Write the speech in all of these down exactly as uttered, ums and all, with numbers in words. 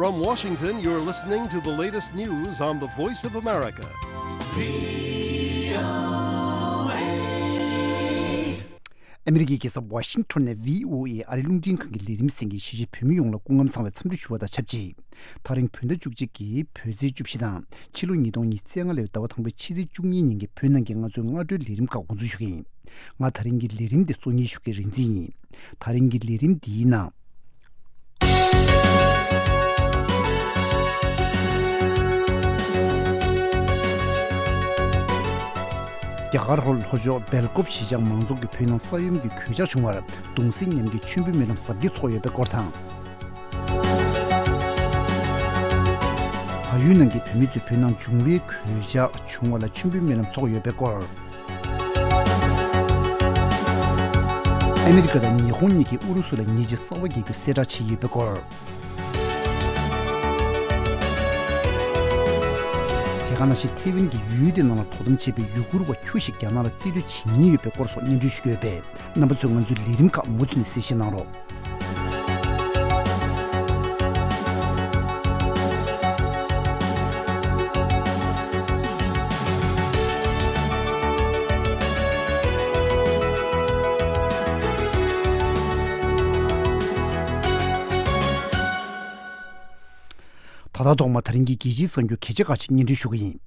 From Washington, you're listening to the latest news on the Voice of America. ཨ་མི་རི་ཀའི་རྒྱལ་ས་ཝ་ཤིང་ཊོན་ནས་བྷི་ཨོ་ཨེ་ཨ་རིའི་རླུང་འཕྲིན་ཁང་གི་ལས་རིམ་གསན་མཁན་གཞིས་བྱེས་བོད་མི་ཡོངས་ལ་སྐུ་ཁམས་བཟང་བའི་འཚམས་འདྲི་ཞུ་བ་དང་ཆབས་ཅིག་ད་རིང་བོད་ཟླ་བཅུ་གཅིག་གི་བོད་ཚེས་བཅུ་བཞི་དང་ཕྱི་ལོ་ཉིས་སྟོང་ཉི་ཤུ་རྩ་ལྔ་ལོའི་ཟླ་བ་དང་པོའི་ཕྱི་ཚེས་བཅུ་གཉིས་ཉིན་གྱི་བོད་ནང་གི་ང་ཚོའི་སྔ་དྲོའི་ལས་རིམ་ཁག་འགོ་འཛུགས་ཞུ་གི་ཡིན། ང་ད་རིང་གི་ལས་རིམ་འདི་གཙོ་གཉེར་ཞུ་མཁན་རིག་འཛིན་ཡིན། ད་རིང་གི་ལས་རིམ་འདིའི་ནང་། རྒྱ་གར་ལྷོ་ལྷོ་ཕྱོགས་སྦེལ་ཀོབ་གཞིས་ཆགས་མང་ཚོགས་ཀྱི་བོད་ནང་ས་ཡོམ་གྱི་གོད་ཆག་བྱུང་བར་གདུང་སེམས་མཉམ་སྐྱེད་མཆོད་འབུལ་སྨོན་ལམ་གཟབ་རྒྱས་ཚོགས་ཡོད་པའི་སྐོར་དང་། བལ་ཡུལ་ནང་གི་བོད་མི་ཚོས་བོད་ནང་འབྱུང་བའི་གོད་ཆག་བྱུང་བ་ལ་མཆོད་འབུལ་སྨོན་ལམ་ཚོགས་ཡོད་པའི་སྐོར། ཨ་མི་རི་ཀ་དང་ཉི་ཧོང་གཉིས་ཀྱིས་ཨུ་རུ་སུ་ལ་ཉེས་ཆད་གསར་པ་འགེལ་རྒྱུ་གསལ་བསྒྲགས་བྱས་ཡོད་པའི་སྐོར། དེ་ག་ནང་བཞིན་ཐེ་ཝན་གྱི་ཡུལ་དེ་ནང་ལ་དོ་དམ་བྱེད་པའི་ཡུ་གུར་བ་ཁྱུ་ཞིག་རྒྱ་ནག་ལ་རྩིས་སྤྲོད་བྱེད་ཉེན་ཡོད་པའི་སྐོར་སོགས་སྙན་སྒྲོན་ཞུ་གི་ཡོད་པས། རྣམ་པ་ཚོས་ང་ཚོའི་ལས་རིམ་ཁག་མུ་མཐུད་ནས་གསན་བཞེས་གནང་རོགས། ད་ལྟ་ཐོག་མ་ད་རིང་གི་རྒྱལ་སྤྱིའི་གསར་འགྱུར་གལ་ཆེ་ཁག་ཅིག་སྙན་སྒྲོན་ཞུ་གི་ཡིན།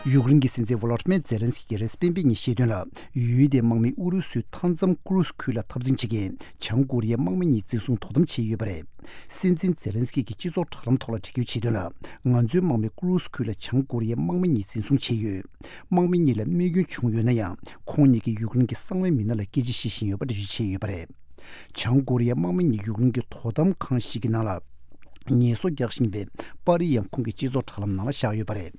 ཡུཀ་རེན་གྱི་སྲིད་འཛིན་ཝོ་ལོ་ཏི་མེར་ཛེ་ལན་སི་ཀི་གིས་རེས་སྤེན་པའི་ཉིན་བཤད་དོན་ལ། ཡུལ་དེའི་དམག་མིས་ཨུ་རུ་སུའི་མཐའ་མཚམས་ཀུ་རུ་སི་ཁུལ་ལ་འཐབ་འཛིང་བྱེད་མཁན་བྱང་ཀོ་རི་ཡའི་དམག་མི་གཉིས་འཛིན་བཟུང་དོ་དམ་བྱས་ཡོད་པ་རེད། སྲིད་འཛིན་ཛེ་ལན་སི་ཀི་གིས་སྤྱི་ཚོགས་དྲ་ལམ་ཐོག་ལ་བྲིས་སྐྱོར་བྱས་དོན་ལ། ང་ཚོའི་དམག་མིས་ཀུ་རུ་སི་ཁུལ་ལ་བྱང་ཀོ་རི་ཡའི་དམག་མི་གཉིས་འཛིན་བཟུང་བྱས་ཡོད། དམག་མི་གཉིས་ལ་རྨས་སྐྱོན་བྱུང་ཡོད་ན་ཡང་། ཁོང་གཉིས་ཀྱིས་ཡུཀ་རེན་གྱི་གསང་བའི་མི་སྣ་ལ་སྐད་ཆ་བཤད་བཞིན་ཡོད་པ་འགྲེལ་བརྗོད་བྱས་ཡོད་པ་རེད། བྱང་ཀོ་རི་ཡའི་དམག་མི་གཉིས་ཡུཀ་རེན་གྱི་དོ་དམ་ཁང་ཞིག་གི་ནང་ལ་ངལ་གསོ་རྒྱག་བཞིན་པའི་པར་རིས་ཡང་ཁོང་གི་སྤྱི་ཚོགས་དྲ་ལམ་ནང་ལ་བཞག་ཡོད་པ་རེད།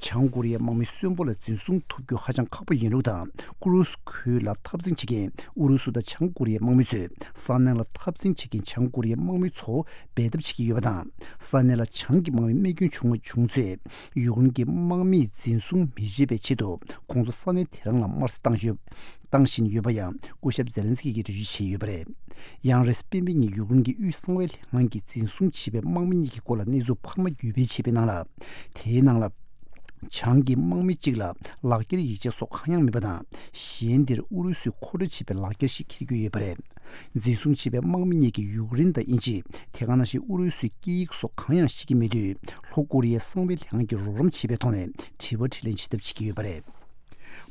བྱང་ཀོ་རི་ཡའི་དམག་མི་གསོན་པོ་ལ་འཛིན་བཟུང་ཐུབ་རྒྱུ་ཧ་ཅང་ཁག་པོ་ཡིན་ལུགས་དང་། ཀུ་རུ་སི་ཁུལ་ལ་འཐབ་འཛིང་བྱེད་མཁན་ཨུ་རུ་སུ་དང་བྱང་ཀོ་རི་ཡའི་དམག་མི་ཚོས་ས་གནས་ལ་འཐབ་འཛིང་བྱེད་མཁན་བྱང་ཀོ་རི་ཡའི་དམག་མི་ཚོ་འབད་འཐབ་བྱེད་ཀྱི་ཡོད་པ་དང་། ས་གནས་ལ་བྱང་གི་དམག་མི་རྨས་སྐྱོན་བྱུང་བ་བྱུང་ཚེ། ཡུཀ་རེན་གྱི་དམག་མིས་འཛིན་བཟུང་མི་བྱེད་པའི་ཆེད་དུ་ཁོང་ཚོ་ས་གནས་དེ་རང་ལ་དམར་གསོད་བཏང་ཡོད། བཏང་བཞིན་ཡོད་པ་ཡང་སྐུ་ཞབས་ཛེ་ལན་སི་ཀི་གིས་འགྲེལ་བརྗོད་བྱས་ཡོད་པ་རེད། ཡང་རེས་སྤེན་པའི་ཉིན་ཡུཀ་རེན་གྱི་དབུས་གསང་བའི་ལྷན་ཁང་གིས་འཛིན་བཟུང་བྱས་པའི་དམག་མི་གཉིས་ཀྱི་སྐོར་ལ་གནས་ཚུལ་འཕར་མ་བརྒྱུད་སྤེལ་བྱས་པའི་ནང་ལ། དེའི་ནང་ལ། བྱང་གི་དམག་མི་གཅིག་ལ་ལག་འཁྱེར་ཡིག་ཆ་སོགས་གང་ཡང་མེད་པ་དང་། གཞན་དེར་ཨུ་རུ་སུས་མཁོ་སྤྲོད་བྱས་པའི་ལག་འཁྱེར་ཞིག་འཁྱེར་དགོས་ཡོད་པ་རེད། འཛིན་བཟུང་བྱས་པའི་དམག་མི་གཉིས་ཀྱིས་ཡུཀ་རེན་དང་དབྱིན་ཇི། དེ་ག་ནང་བཞིན་ཨུ་རུ་སུའི་སྐད་ཡིག་སོགས་གང་ཡང་ཤེས་ཀྱི་མེད་དུས། ལྷོ་ཀོ་རི་ཡའི་གསང་བའི་ལྷན་ཁང་གིས་རོགས་རམ་བྱས་པའི་ཐོག་ནས་དྲི་བ་དྲིས་ལན་བྱེད་ཐབས་བྱེད་ཀྱི་ཡོད་པ་རེད།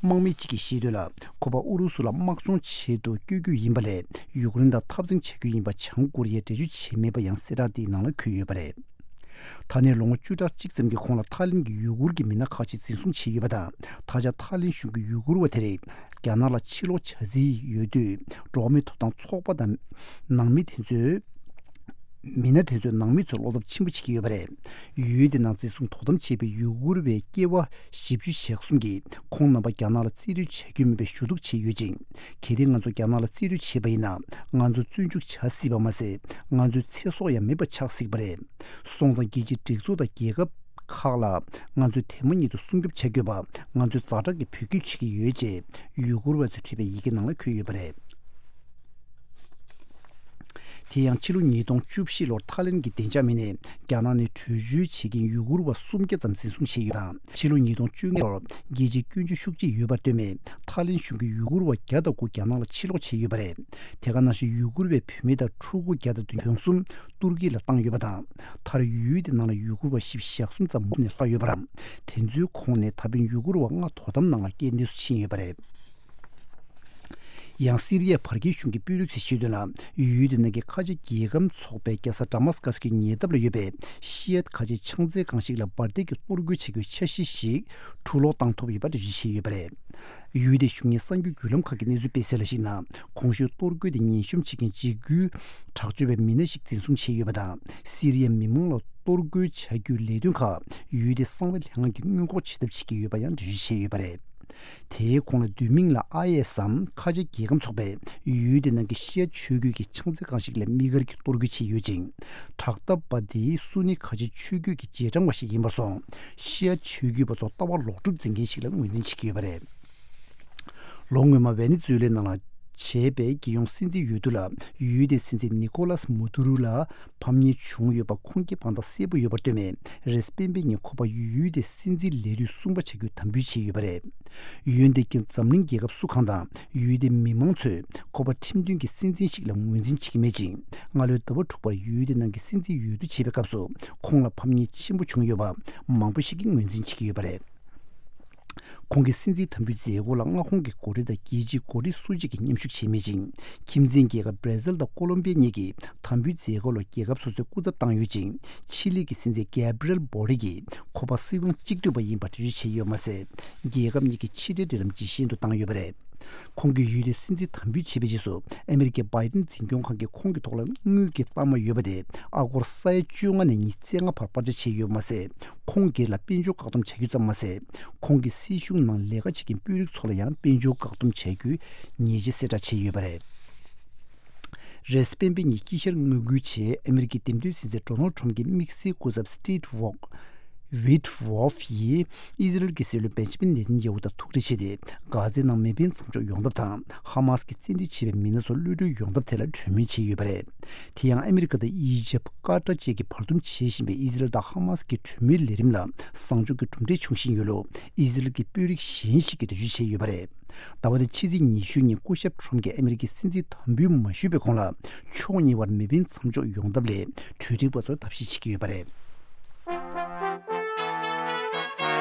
དམག་མི་གཅིག་གིས་བཤད་དོན་ལ། ཁོ་པ་ཨུ་རུ་སུ་ལ་དམག་སྦྱོང་ཆེད་དུ་བསྐྱོད་རྒྱུ་ཡིན་པ་ལས། ཡུཀ་རེན་དང་འཐབ་འཛིང་བྱ་རྒྱུ་ཡིན་པ་བྱང་ཀོ་རི་ཡས་འགྲེལ་བརྗོད་བྱས་མེད་པ་ཡང་གསལ་བསྒྲགས་འདིའི་ནང་ལ་འཁོད་ཡོད་པ་རེད། ད་ནས་ལོ་ངོ་བཅུ་ཕྲག་གཅིག་ཙམ་གྱི་གོང་ལ་ཐའི་ལེན་གྱི་ཡུ་གུར་གྱི་མི་སྣ་ཁག་ཅིག་འཛིན་བཟུང་བྱས་ཡོད་པ་དང་། ད་ཆ་ཐའི་ལེན་གཞུང་གིས་ཡུ་གུར་བ་དེ་རིགས་རྒྱ་ནག་ལ་ཕྱིར་སློག་བྱ་རྩིས་ཡོད་དུས། འགྲོ་བ་མིའི་ཐོབ་ཐང་ཚོགས་པ་དང་། ནང་མི་དེ་ཚོས། མི་སྣ་དེ་ཚོས་ནང་མི་ཚོར་བློ་འཚབ་ཆེན་པོ་བྱེད་ཀྱི་ཡོད་པ་རེད། ཡུལ་དེ་ནང་འཛིན་བཟུང་དོ་དམ་བྱས་པའི་ཡུ་གུར་བའི་སྐྱེ་བ་བཞི་བཅུ་ཞེ་གསུམ་གྱིས་ཁོང་རྣམ་པ་རྒྱ་ནག་ལ་རྩིས་སྤྲོད་བྱ་རྒྱུ་མིན་པའི་ཞུ་གཏུག་བྱས་ཡོད་ཅིང་། གལ་ཏེ་ང་ཚོ་རྒྱ་ནག་ལ་རྩིས་སྤྲོད་བྱས་པ་ཡིན་ན། ང་ཚོ་བཙོན་འཇུག་བྱ་སྲིད་པ་མ་ཟད། ང་ཚོའི་ཚེ་སྲོག་ཡང་མེད་པ་ཆགས་སྲིད་པ་རེད། སོང་ཙང་རྒྱལ་སྤྱིའི་སྒྲིག་འཛུགས་དང་རྒྱལ་ཁབ་ཁག་ལ་ང་ཚོས་དེ་མ་ཉིད་དུ་སྲུང་སྐྱོབ་བྱ་དགོས་པ་ང་ཚོས་ཛ་དྲག་གི་འབོད་སྐུལ་བྱེད་ཀྱི་ཡོད་ཅེས་ཡུ་གུར་བ་ཚོས་བྲིས་པའི་ཡི་གེ་ནང་ལ་འཁོད་ཡོད་པ་རེད། དེ་ཡང་ཕྱི་ལོ་ཉིས་སྟོང་བཅུ་བཞི་ལོར་ཐའི་ལེན་གྱི་བདེ་འཇགས་མི་སྣས་རྒྱ་ནག་ནས་བྲོས་བྱོལ་བྱེད་མཁན་ཡུ་གུར་བ་སུམ་བརྒྱ་ཙམ་འཛིན་བཟུང་བྱས་ཡོད་དང་། ཕྱི་ལོ་ཉིས་སྟོང་བཅོ་ལྔ་ལོར་རྒྱལ་སྤྱིའི་སྐྱོན་བརྗོད་ཤུགས་ཆེ་ཡོད་པར་ལྟོས་ནས་ཐའི་ལེན་གཞུང་གིས་ཡུ་གུར་བ་བརྒྱ་དང་དགུ་རྒྱ་ནག་ལ་ཕྱིར་སློག་བྱས་ཡོད་པ་རེད། དེ་ག་ནང་བཞིན་ཡུ་གུར་བའི་བུད་མེད་དང་ཕྲུ་གུ་བརྒྱ་དང་བདུན་ཅུ་གྱོང་གསུམ་ཏུར་ཀི་ལ་བཏང་ཡོད་པ་དང་། མཐར་ཡུལ་དེ་ནང་ལ་ཡུ་གུར་བ་བཞི་བཅུ་ཞེ་གསུམ་ཙམ་མུ་མཐུད་ནས་ལྷག་ཡོད་པ་རམ། དེ་ཚོའི་ཁོངས་ནས་ད་ཕན་ཡུ་གུར་བ་ལྔ་དོ་དམ་ནང་ལ་རྐྱེན་འདས་སུ་ཕྱིན་ཡོད་པ་རེད། ཡང་སི་རི་ཡའི་བར་བརྒལ་གཞུང་གི་དཔོན་རིགས་ཚོས་བཤད་དོན་ལ། ཡུལ་དེ་ནང་གི་ཁ་ཆེ་རྒྱལ་ཁམས་ཚོགས་པའི་རྒྱལ་ས་ཌ་མཱ་སི་ཀ་སི་གི་ཉེ་འདབས་ལ་ཡོད་པའི་ཤི་ཡ་ཁ་ཆེ་ཕྱག་འཚལ་ཁང་ཞིག་ལ་འབར་མདེལ་གྱི་གཏོར་རྒོལ་བྱ་རྒྱུའི་འཆར་གཞི་ཞིག་འཕྲུ་སློག་བཏང་ཐུབ་ཡོད་པ་འགྲེལ་བརྗོད་བྱས་ཡོད་པ་རེད། ཡུལ་དེའི་གཞུང་གཉེར་གསར་འགྱུར་བརྒྱུད་ལམ་ཁག་གིས་གནས་ཚུལ་སྤེལ་གསལ་ལ་གཞིགས་ན། གོང་ཞུས་གཏོར་རྒོལ་དེ་ཉེན་གཤོམ་བྱེད་མཁན་འཇིགས་སྐུལ་དྲག་སྤྱོད་པའི་མི་སྣ་ཞིག་འཛིན་བཟུང་བྱས་ཡོད་པ་དང་། སི་རི་ཡའི་མི་མང་ལ་གཏོར་རྒོལ་བྱ་རྒྱུའི་ལས་དོན་ཁག་ཡུལ་དེའི་གསང་བའི་ལྷན་ཁང་གིས་སྔོན་འགོག་བྱེད་ཐབས་བྱེད་ཀྱི་ཡོད་པ་ཡང་འགྲེལ་བརྗོད་བྱས་ཡོད་པ་རེད། དེའི་གོང་ལ་བསྡུས་མིང་ལ་ཨའི་ཨེས་སམ་ཁ་ཆེ་རྒྱལ་ཁམས་ཚོགས་པས་ཡུལ་དེ་ནང་གི་ཤི་ཡ་ཆོས་བརྒྱུད་ཀྱི་ཕྱག་འཚལ་ཁང་ཞིག་ལ་དམིགས་བཀར་གྱིས་གཏོར་རྒོལ་བྱས་ཡོད་ཅིང་། དྲག་འཐབ་པ་དེ་སུ་ནི་ཁ་ཆེ་ཆོས་བརྒྱུད་ཀྱི་རྗེས་འབྲང་བ་ཞིག་ཡིན་པར་སོང་། ཤི་ཡ་ཆོས་བརྒྱུད་པ་ཚོ་ལྟ་བ་ལོག་སྒྲུབ་འཛིན་མཁན་ཞིག་ལ་ངོས་འཛིན་བྱེད་ཀྱི་ཡོད་པ་རེད། ལོ་སྔོན་མ་ཝེ་ནེ་ཛུ་ཝེ་ལའི་ནང་ལ། བྱས་པའི་རྒྱལ་ཡོངས་སྲིད་འཛིན་འོས་བསྡུ་ལ་ཡུལ་དེའི་སྲིད་འཛིན་ནི་ཀོ་ལཱས་མ་དུ་རུ་ལ་ཕམ་ཉེས་བྱུང་ཡོད་པ་ཁུངས་སྐྱེལ་དཔང་རྟགས་གསལ་པོ་ཡོད་པར་ལྟོས་ནས། རེས་སྤེན་པའི་ཉིན་ཁོ་པ་ཡུལ་དེའི་སྲིད་འཛིན་ལས་དུས་གསུམ་པ་བྱ་རྒྱུའི་དམ་འབུལ་བྱས་ཡོད་པ་རེད། ཡོན་ཏན་གྱི་འཛམ་གླིང་རྒྱལ་ཁབ་སུ་གང་དང་ཡུལ་དེའི་མི་མང་ཚོས་ཁོ་པ་ཁྲིམས་མཐུན་གྱི་སྲིད་འཛིན་ཞིག་ལ་ངོས་འཛིན་བྱེད་ཀྱི་མེད་ཅིང་། སྔ་ལོའི་ཟླ་བ་དྲུག་པར་ཡུལ་དེ་ནང་གི་སྲིད་འཛིན་འོས་བསྡུ་བྱེད་པའི་སྐབས་སུ་ཁོང་ལ་ཕམ་ཉེས་ཆེན་པོ་བྱུང་ཡོད་པ་མང་པོ་ཞིག་གིས་ངོས་འཛིན་བྱེད་ཀྱི་ཡོད་པ་རེད། ཁོང་གི་སྲིད་འཛིན་དམ་འབུལ་མཛད་སྒོ་ལ་མངའ་ཁོངས་ཀྱི་འགོ་ཁྲིད་དང་རྒྱལ་སྤྱིའི་འགོ་ཁྲིད་སུ་གཅིག་གིས་མཉམ་ཞུགས་བྱས་མེད་ཅིང་། ཁྱིམ་མཚེས་རྒྱལ་ཁབ་བྷར་ཛིལ་དང་ཀོ་ལོམ་བི་ཡ་གཉིས་ཀྱིས་དམ་འབུལ་མཛད་སྒོ་ལ་རྒྱལ་ཁབ་སོ་སོའི་སྐུ་ཚབ་བཏང་ཡོད་ཅིང་། ཆི་ལི་གི་སྲིད་འཛིན་གེབ་རི་ཨེལ་བྷོ་རིག་གིས་ཁོ་པ་སྲིད་དབང་གཅིག་སྡུད་པ་ཡིན་པ་འགྲེལ་བརྗོད་བྱས་ཡོད་མ་ཟད། རྒྱལ་ཁབ་གཉིས་ཀྱི་ཕྱི་འབྲེལ་འབྲེལ་ལམ་ཇེ་ཞན་དུ་བཏང་ཡོད་པ་རེད། ཁོང་གིས་ཡུལ་དེའི་སྲིད་འཛིན་དམ་འབུལ་བྱས་པའི་རྗེས་སུ་ཨ་མེ་རི་ཀའི་བྷའི་ཏིན་འཛིན་སྐྱོང་ཁང་གིས་ཁོང་གི་ཐོག་ལ་དངུལ་གྱི་གཏའ་མ་ཡོད་པ་དེ་ཨ་སྒོར་ས་ཡ་བཅོ་ལྔ་ནས་ཉི་ཤུ་རྩ་ལྔ་བར་སྤར་ཆ་བྱས་ཡོད་པ་མ་ཟད། ཁོང་སྒེར་ལ་དཔལ་འབྱོར་བཀག་སྡོམ་བྱ་རྒྱུ་ཙམ་མ་ཟད། ཁོང་གི་སྲིད་གཞུང་ནང་ལས་ཀ་བྱེད་མཁན་དཔོན་རིགས་ཚོ་ལ་ཡང་དཔལ་འབྱོར་བཀག་སྡོམ་བྱ་རྒྱུའི་ཉེས་ཆད་གསལ་བསྒྲགས་བྱས་ཡོད་པ་རེད། རེས་སྤེན་པའི་ཉིན་དཀྱིལ་ཤར་མངའ་ཁུལ་ཆེད་ཨ་མེ་རི་ཀའི་འདེམས་ཐོན་སྲིད་འཛིན་ཌོ་ནལ་ཁྲོམ་གྱི་དམིགས་བསལ་སྐུ་ཚབ་སི་ཊིབ་ཝོག་ཝིཊ་ཝོལཕ་ཡིས་ཨི་ཟི་རལ་གྱི་སྲིད་བློན་བེན་ཇི་མིན་ནེ་ཐན་ཡ་ཧུ་དང་ཐུག་འཕྲད་བྱས་ཏེ། གྷ་ཛའི་ནང་མེ་འཕེན་མཚམས་འཇོག་ཡོང་ཐབས་དང་། ཧ་མ་སི་གིས་བཙན་ཁྲིད་བྱས་པའི་མི་སྣ་ཚོ་གློད་གྲོལ་ཡོང་ཐབས་ཐད་ལ་གྲོས་མོལ་བྱས་ཡོད་པ་རེད། དེ་ཡང་ཨ་མི་རི་ཀ་དང་ཨི་ཇིབ། ཀ་ཏར་བཅས་ཀྱིས་བར་འདུམ་བྱེད་བཞིན་པའི་ཨི་ཟི་རལ་དང་ཧ་མ་སི་གི་གྲོས་མོལ་ལས་རིམ་ལ་བཟང་ཕྱོགས་ཀྱི་གྲུབ་འབྲས་བྱུང་བཞིན་ཡོད་ལུགས་ཨི་ཟི་རལ་གྱི་དཔོན་རིགས་གཞན་ཞིག་གིས་འགྲེལ་བརྗོད་བྱས་ཡོད་པ་རེད། ཟླ་བ་འདིའི་ཕྱི་ཚེས་ཉི་ཤུ་ཉིན་སྐུ་ཞབས་ཁྲོམ་གྱིས་ཨ་མི་རི་ཀའི་སྲིད་འཛིན་དམ་འབུལ་མ་ཞུས་པའི་གོང་ལ། ཕྱོགས་གཉིས་བར་མེ་འཕེན་མཚམས་འཇོག་ཡོང་ཐབས་སླད་གྲོས་འགྲིག་པ་ཚོར་ཐབས་ཤེས་བྱེད་ཀྱི་ཡོད་པ་རེད།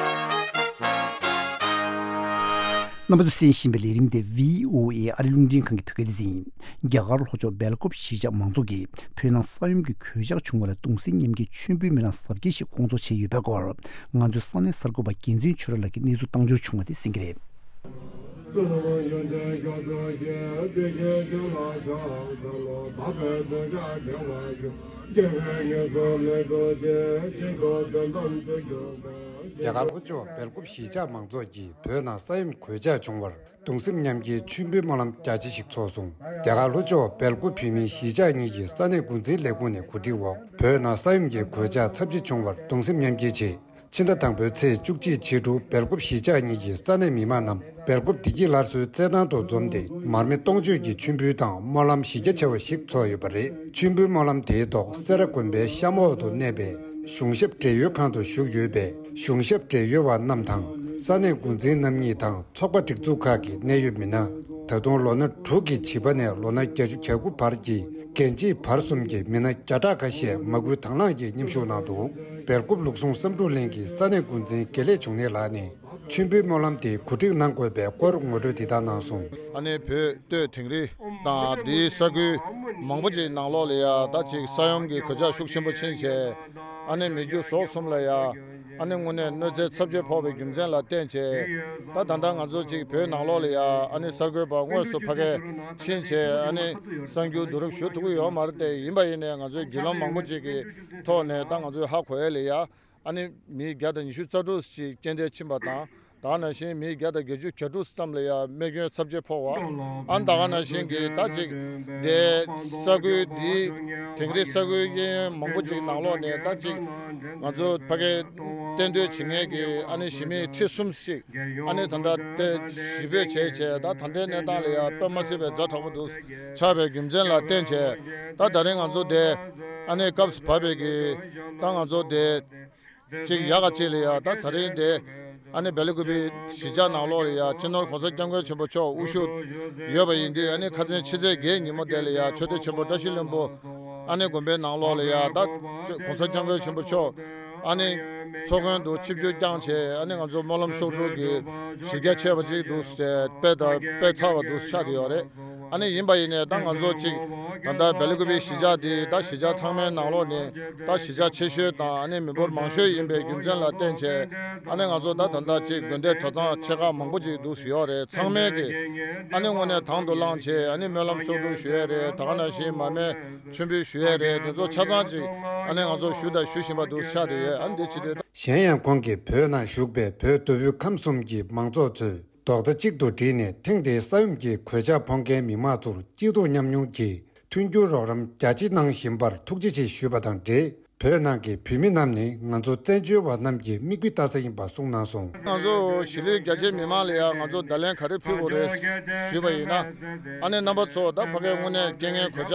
རྣམ་པ་ཚོས་གསན་བཞིན་པའི་ལས་རིམ་དེ་བྷི་ཨོ་ཨེ་ཨ་རི་རླུང་འཕྲིན་ཁང་གི་བོད་སྐད་སྡེ་ཚན་ཡིན། རྒྱ་གར་ལྷོ་ཕྱོགས་སྦེལ་ཀོབ་གཞིས་ཆགས་མང་ཚོགས་ཀྱིས་བོད་ནང་ས་ཡོམ་གྱི་གོད་ཆག་བྱུང་བ་ལ་གདུང་སེམས་མཉམ་སྐྱེད་མཆོད་འབུལ་སྨོན་ལམ་གཟབ་རྒྱས་ཤིག་སྐོང་ཚོགས་བྱས་ཡོད་པའི་སྐོར། ང་ཚོའི་ས་གནས་གསར་འགོད་པ་རྒྱལ་མཚན་ཆོས་གྲགས་ལགས་ཀྱིས་གནས་ཚུལ་བཏང་འབྱོར་བྱུང་བ་དེ་གསན་གྱི་རེད། རྒྱ་གར་ལྷོ་ཕྱོགས་སྦེལ་ཀོབ་གཞིས་ཆགས་མང་ཚོགས་ཀྱིས་བོད་ནང་ས་ཡོམ་གོད་ཆག་བྱུང་བར་གདུང་སེམས་མཉམ་སྐྱེའི་མཆོད་འབུལ་སྨོན་ལམ་རྒྱ་ཆེ་ཞིག་ཚོགས་སོང་། རྒྱ་གར་ལྷོ་ཕྱོགས་སྦེལ་ཀོབ་བོད་མིའི་གཞིས་ཆགས་གཉིས་ཀྱི་ས་གནས་འགོ་འཛིན་ལས་ཁུངས་ནས་གོ་སྒྲིག་འོག་བོད་ནང་ས་ཡོམ་གྱི་གོད་ཆག་ཚབས་ཆེ་བྱུང་བར་གདུང་སེམས་མཉམ་སྐྱེའི་ཆེད། ཕྱི་ཟླ་དང་པོའི་ཚེས་བཅུ་གཅིག་ཕྱི་དྲོ་སྦེལ་ཀོབ་གཞིས་ཆགས་གཉིས་ཀྱི་ས་གནས་མི་མང་རྣམས་སྦེལ་ཀོབ་བདེ་སྐྱིད་སླར་གསོའི་རྩེད་ཐང་དུ་འཛོམས་ཏེ་མར་མེ་སྟོང་མཆོད་ཀྱི་མཆོད་འབུལ་དང་སྨོན་ལམ་གཞི་རྒྱ་ཆེ་བ་ཞིག་ཚོགས་ཡོད་པ་རེད། མཆོད་འབུལ་སྨོན་ལམ་དེའི་ཐོག་སེ་ར་དགོན་པའི་གཤམ་འོག་ཏུ་གནས་པའི་གཞུང་ཞབས་བགྲེས་ཡོལ་ཁང་དུ་བཞུགས་ཡོད་པའི་གཞུང་ཞབས་བགྲེས་ཡོལ་བ་རྣམས་དང་ས་གནས་འགོ་འཛིན་རྣམ་གཉིས་དང་ཚོགས་པ་སྒྲིག་འཛུགས་ཁག་གི་གནད་ཡོད་མི་སྣ། ད་དུང་ལོ་ན་དྲུག་གི་བྱིས་པ་ནས་ལོ་ན་བརྒྱད་ཅུ་གྱ་དགུ་བར་གྱི་རྒན་བྱིས་བར་གསུམ་གྱི་མི་སྣ་བརྒྱ་ཕྲག་ཁ་ཤས་མ་སྐུལ་དང་བླངས་ཀྱིས་མཉམ་ཞུགས་གནང་འདུག་སྦེལ་ཀོབ་ལུགས་ཟུང་བསམ་འགྲུབ་གླིང་གི་ས་གནས་འགོ་འཛིན་དགེ་ལེགས་འབྱུང་གནས་ལགས་ནས་མཆོད་འབུལ་སྨོན་ལམ་དེ་གོ་སྒྲིག་གནང་དགོས་པའི་སྐོར་ངོ་སྤྲོད་འདི་ལྟར་གནང་སོང་། ཨ་ནེ་བོད་སྟོད་དིང་རི་དང་དེའི་ས་ཁུལ་མང་པོ་ཅིག་ནང་ལོགས་ལ་ཡ་ད་ཅིག་ས་ཡོམ་གྱི་གོད་ཆག་ཤུགས་ཆེན་པོ་ཕྱིན་བྱས། ཨ་ནེ་མི་རྒྱུ་ཟོག་གསུམ་ལ་ཡ། ཨ་ནེ་དངོས་གནས་གནོད་འཚེ་ཚབས་ཆེ་ཕོག་པའི་རྒྱུ་མཚན་ལ་བརྟེན་བྱས། ད་ད་ལྟ་ང་ཚོ་ཅིག་བོད་ནང་ལོགས་ལ་ཡ་ཨ་ནེ་གསར་འགོད་པ་དངོས་སུ་ཕ་གིར་ཕྱིན་བྱས་ཨ་ནེ་གསར་འགྱུར་བསྡུ་རུབ་ཞུ་ཐུབ་ཀྱི་ཡོད་མ་རེད་དེ། ཡིན་པ་ཡིན་ནའི་ང་ཚོའི་བརྒྱུད་ལམ་མང་པོ་ཅིག་གི་ཐོག་ནས་ད་ང་ཚོས་ཧ་གོ་ཡ་ལ་ཡ། ཨ་ནི་མི་བརྒྱ་དང་ཉི་ཤུ་རྩ་དྲུག་ཅིག་རྐྱེན་འདས་ཕྱིན་པ་དང་། ད་ག་ནང་བཞིན་མི་བརྒྱ་དང་བརྒྱད་ཅུ་གྱ་དྲུག་ཙམ་ལ་ཡང་རྨས་སྐྱོན་ཚབས་ཆེ་ཕོག་པ། ཨ་ནི་ད་ག་ནང་བཞིན་གྱི་ད་ཅིག་དེ་ས་ཁུལ་འདི་དིང་རི་ས་ཁུལ་གཡས་གཡོན་མང་པོ་ཅིག་ནང་ལོགས་ནས་ད་ཅིག་ང་ཚོ་ཕ་གིར་གཏན་སྡོད་བྱེད་མཁན་གྱི་ཨ་ནི་གཞིས་མི་ཁྲི་གསུམ་ཞིག་ཨ་ནི་ད་ལྟ་དེ་གཞིས་སྤོས་བྱས་བྱས་ད་ད་ལྟའི་གནས་སྟངས་ལ་ཡང་དཔེ་མ་སྲིད་པའི་ཛ་དྲག་པོ་འདུག་ཆགས་པའི་རྒྱུ་མཚན་ལ་བརྟེན་བྱས་ད་ད་རིང་ང་ཚོ་དེ་ཨ་ནི་སྐབས་སུ་བབས་པའི་གི་ད་ང་ཚོ་དེ། གཅིག་ཡག་ག་གཅིག་ལ་ཡ་ད་ད་རིང་དེ་ཨ་ནི་སྦེལ་ཀོབ་གཞིས་ཆགས་ནང་ལོགས་ལ་ཡ་སྤྱི་ནོར་༸གོང་ས་༸སྐྱབས་མགོན་ཆེན་པོ་མཆོག་དབུ་བཞུགས་ཡོད་པ་ཡིན་དུས་ཨ་ནི་ཁ་སང་ཕྱི་ཚེས་བརྒྱད་ཉིན་མོ་དེ་ལ་ཡ་ཆོས་སྡེ་ཆེན་པོ་བཀྲ་ཤིས་ལྷུན་པོ་ཨ་ནི་དགོན་པའི་ནང་ལོགས་ལ་ཡ་ད་༸གོང་ས་༸སྐྱབས་མགོན་ཆེན་པོ་མཆོག་ཨ་ནི་ཚོགས་མགོན་དུ་ཆིབས་བསྒྱུར་བསྐྱངས་བྱས་ཨ་ནི་ང་ཚོ་སྨོན་ལམ་གསོག་སྒྲུབ་ཀྱི་གཞི་རྒྱ་ཆེ་བ་ཅིག་འདུག་ཟེར་དཔེ་དང་དཔེ་ཚགས་པ་འདུག་ཆགས་བསྡད་ཡོད་རེད། ཨ་ནི་ཡིན་པ་ཡིན་ནའི་ད་ང་ཚོ་གཅིག་ད་ལྟ་སྦེལ་ཀོབ་གཞིས་ཆགས་འདི་ད་གཞིས་ཆགས་ཚང་མའི་ནང་ལོགས་ནས་ད་གཞིས་ཆགས་ཆེ་ཤོས་དང་ཨ་ནི་མི་འབོར་མང་ཤོས་ཡིན་པའི་རྒྱུ་མཚན་ལ་བརྟེན་བྱས་ཨ་ནི་ང་ཚོ་ད་ད་ལྟ་གཅིག་དགོན་སྡེ་གྲྭ་ཚང་ཆེ་ཁག་མང་པོ་ཅིག་འདུག་ཡོད་རེད། ཚང་མས་ཀྱི་ཨ་ནི་དངོས་གནས་དང་དུ་བླངས་བྱས་ཨ་ནི་སྨོན་ལམ་གསོག་སྒྲུབ་ཞུ་ཡས་རེད། ད་ག་ནང་བཞིན་མར་མེ་མཆོད་འབུལ་ཞུ་ཡས་རེད། དེ་ཚོ་ཆ་ཚང་ཅིག་ཨ་ནི་ང་ཚོ་ཞུ་དང་ཞུ་བཞིན་པ་འདུག་ཆགས་བསྡད་ཡོད། ཨ་ནི་འདི་བྱེད་དུས། གཞན་ཡང་ཁོང་གིས་བོད་ནང་བཞུགས་པའི་བོད་མདོ་དབུས་ཁམས་གསུམ་གྱི་མང་ཚོགས་ཚོས་རྡོག་རྩ་གཅིག་ཏུ་བསྒྲིལ་ནས་ཐེངས་འདིའི་ས་ཡོམ་གྱི་གོད་ཆག་ཕོག་མཁན་མི་མང་ཚོར་སྐྱིད་སྡུག་མཉམ་མྱོང་གིས་མཐུན་འགྱུར་རོགས་རམ་རྒྱ་ཆེ་གནང་བཞིན་པར་ཐུགས་རྗེ་ཆེ་ཞུས་པ་དང་འབྲེལ། བོད་ནང་གི་བོད་མི་རྣམས་ནི་ང་ཚོ་བཙན་བྱོལ་བ་རྣམས་ཀྱི་མིག་དཔེ་ལྟ་ས་ཡིན་པ་གསུངས་གནང་སོང་། ང་ཚོ་གཞིས་ལུས་རྒྱ་ཆེའི་མི་མང་ལ་ཡང་ང་ཚོ་བརྡ་ལན་ག་རེ་ཕུལ་དགོས་རེད་ཞུས་པ་ཡིན་ན། ཨ་ནི་རྣམ་པ་ཚོ་ད་ཕ་གིའི་དངོས་གནས་རྐྱེན་ངན་གོད་ཆག་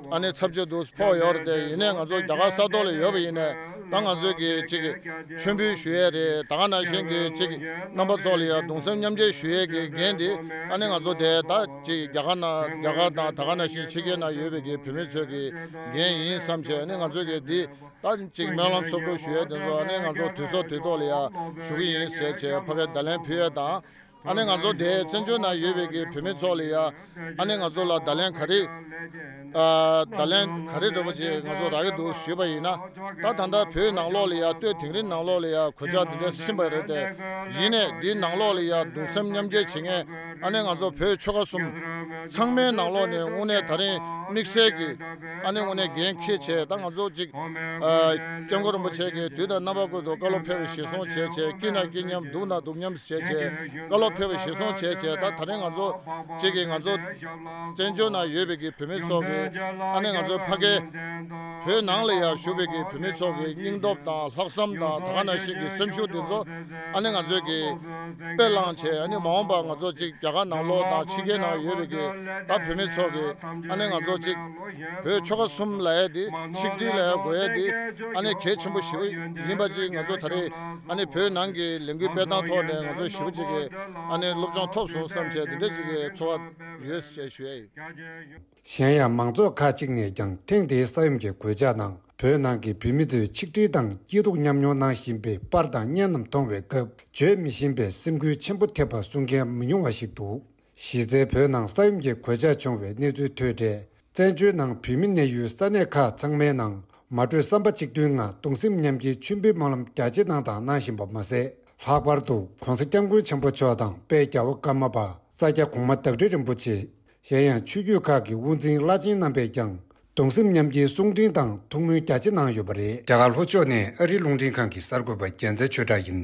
ཨ་ནི་ཚབས་ཆེ་འདུག་ཕོག་ཡོད་རེད་དེ། ཡིན་ནའི་ང་ཚོ་རྒྱ་གར་ས་ཐོག་ལ་ཡོད་པ་ཡིན་ནའི་ད་ང་ཚོས་ཀྱི་ཅིག་མཆོད་འབུལ་ཞུ་ཡས་རེད། ད་ག་ནང་བཞིན་གྱི་ཅིག་རྣམ་པ་ཚོ་ལ་ཡང་གདུང་སེམས་མཉམ་སྐྱེད་ཞུ་ཡས་ཀྱི་འགན་དེ་ཨ་ནི་ང་ཚོ་དེ་ད་ཅིག་རྒྱ་གར་ནང་རྒྱ་གར་དང་ད་ག་ནང་བཞིན་ཕྱི་རྒྱལ་ནང་ཡོད་པའི་གི་བོད་མི་ཚོའི་གི་འགན་ཡིན་བསམ་བྱས། ཨ་ནི་ང་ཚོས་གི་འདི་ད་ཅིག་སྨོན་ལམ་གསོག་སྒྲུབ་ཞུ་ཡས་དེ་ཚོ་ཨ་ནི་ང་ཚོ་དུས་ཚོད་དུས་ཐོག་ལ་ཡང་ཞུ་གི་ཡིན་ཟེར་བྱས་ཕ་གིར་བརྡ་ལན་ཕུལ་ཡས་དང་། ཨ་ནི་ང་ཚོ་དེ་བཙན་བྱོལ་ནང་ཡོད་པའི་གི་བོད་མི་ཚོ་ལ་ཡང་ཨ་ནི་ང་ཚོ་ལ་བརྡ་ལན་ག་རེ་ཨ་བརྡ་ལན་ག་རེ་འདྲ་པོ་ཅིག་ང་ཚོ་རག་གི་འདུག་ཞུས་པ་ཡིན་ན། ད་ད་ལྟ་བོད་ནང་ལོགས་ལ་ཡང་སྟོད་དིང་རི་ནང་ལོགས་ལ་ཡང་གོད་ཆག་འདི་འདྲ་ཕྱིན་པ་རེད་དེ། ཡིན་ནའི་འདི་ནང་ལོགས་ལ་ཡང་གདུང་སེམས་མཉམ་སྐྱེད་བྱེད་མཁན་ཨ་ནི་ང་ཚོ་བོད་ཆོལ་ཁ་གསུམ་ཚང་མའི་ནང་ལོགས་ནས་དངོས་གནས་ད་རིང་དམིགས་བསལ་གྱི་ཨ་ནི་དངོས་གནས་འགན་འཁྱེར་བྱས་ད་ང་ཚོ་ཅིག་ཨ་སྐྱབས་མགོན་རིན་པོ་ཆེ་གིས་དུས་དང་རྣམ་པ་ཀུན་ཏུ་བཀའ་སློབ་ཕེབས་པའི་གཞིར་བཟུང་བྱས་བྱས། སྐྱིད་ན་སྐྱིད་མཉམ་སྡུག་ན་སྡུག་མཉམ་བྱས་བྱས་བཀའ་སློབ་ཕེབས་པའི་གཞིར་བཟུང་བྱས་བྱས། ད་ད་རིང་ང་ཚོ་གཅིག་གིས་ང་ཚོ་བཙན་བྱོལ་ནང་ཡོད་པའི་གི་བོད་མི་ཚོ་གི་ཨ་ནི་ང་ཚོ་ཕ་གི་བོད་ནང་ལ་ཡང་བཞུགས་པའི་གི་བོད་མི་ཚོ་གི་སྙིང་སྟོབས་དང་ལྷག་བསམ་དང་ད་ག་ནང་བཞིན་གི་སེམས་ཤུགས་དེ་ཚོ་ཨ་ནི་ང་ཚོས་གི་དཔེ་བླངས་བྱས། ཨ་ནི་མ་འོངས་པ་ང་ཚོ་གཅིག་རྒྱ་གར་ནང་ལོགས་དང་ཕྱི་རྒྱལ་ནང་ཡོད་པའི་གི་ད་བོད་མི་ཚོ་གི་ཨ་ནི་ང་ཚོ་གཅིག་བོད་ཆོལ་ཁ་གསུམ་ལབ་ཡས་དེ་ཆིག་སྒྲིལ་ལབ་ཡས་དགོས་ཡས་དེ་ཨ་ནི་གལ་ཆེན་པོ་ཞེ་པོ་ཡིན་པ་ཅིག་ང་ཚོ་ད་རེས་ཨ་ནི་བོད་ནང་གི་ལས་འགུལ་སྤེལ་སྟངས་ཐོག་ནས་ང་ཚོ་ཞེ་པོ་ཅིག་གི་ཨ་ནི་སློབ་སྦྱོང་ཐོབ་སོང་བསམ་བྱས་དེ་འདྲ་ཅིག་གི་ཚོར་བ་ཡོད་ཅེས་ཞུ་ཡས་ཡིན། གཞན་ཡང་མང་ཚོགས་ཁག་ཅིག་ནས་ཀྱང་ཐེངས་འདིའི་ས་ཡོམ་གྱི་གོད་ཆག་ནང་བོད་ནང་གི་བོད་མི་ཚོས་ཆིག་སྒྲིལ་དང་སྐྱིད་སྡུག་མཉམ་མྱོང་གནང་བཞིན་པའི་པར་དང་བརྙན་རྣམས་མཐོང་བའི་སྐབས་བརྗོད་མི་ཤེས་པའི་སེམས་འགུལ་ཆེན་པོ་ཐེབས་པ་གསུང་མཁན་མི་ཉུང་བ་ཞིག་འདུག་གཞི་རྩའི་བོད་ནང་ས་ཡོམ་གྱི་གོད་ཆག་བྱུང་བའི་གནས་ཚུལ་ཐོས་འཕྲལ། བཙན་བྱོལ་ནང་བོད་མི་གནས་ཡུལ་ས་གནས་ཁག་ཚང་མའི་ནང་མ་གྲོས་བསམ་པ་གཅིག་མཐུན་ངང་གདུང་སེམས་མཉམ་སྐྱེའི་མཆོད་འབུལ་སྨོན་ལམ་རྒྱ་ཆེ་གནང་དང་གནང་བཞིན་པ་མ་ཟད། ལྷག་པར་དུ་༸གོང་ས་༸སྐྱབས་མགོན་ཆེན་པོ་མཆོག་དང་དཔལ་རྒྱལ་བ་ཀརྨ་པ་ས་སྐྱ་གོང་མ་བདག་ཁྲི་རིན་པོ་ཆེ། གཞན་ཡང་ཆོས་བརྒྱུད་ཁག་གི་དབུ་འཛིན་བླ་ཆེན་རྣམ་པས་ཀྱང་གདུང་སེམས་མཉམ་སྐྱེའི་གསུང་འཕྲིན་དང་ཐུགས་སྨོན་རྒྱ་ཆེ་གནང་ཡོད་པ་རེད། རྒྱ་གར་ལྷོ་ཕྱོགས་ནས་ཨ་རིའི་རླུང་འཕྲིན་ཁང་གི་གསར་འགོད་པ་རྒྱལ་མཚན་ཆོས་གྲགས་ཡིན།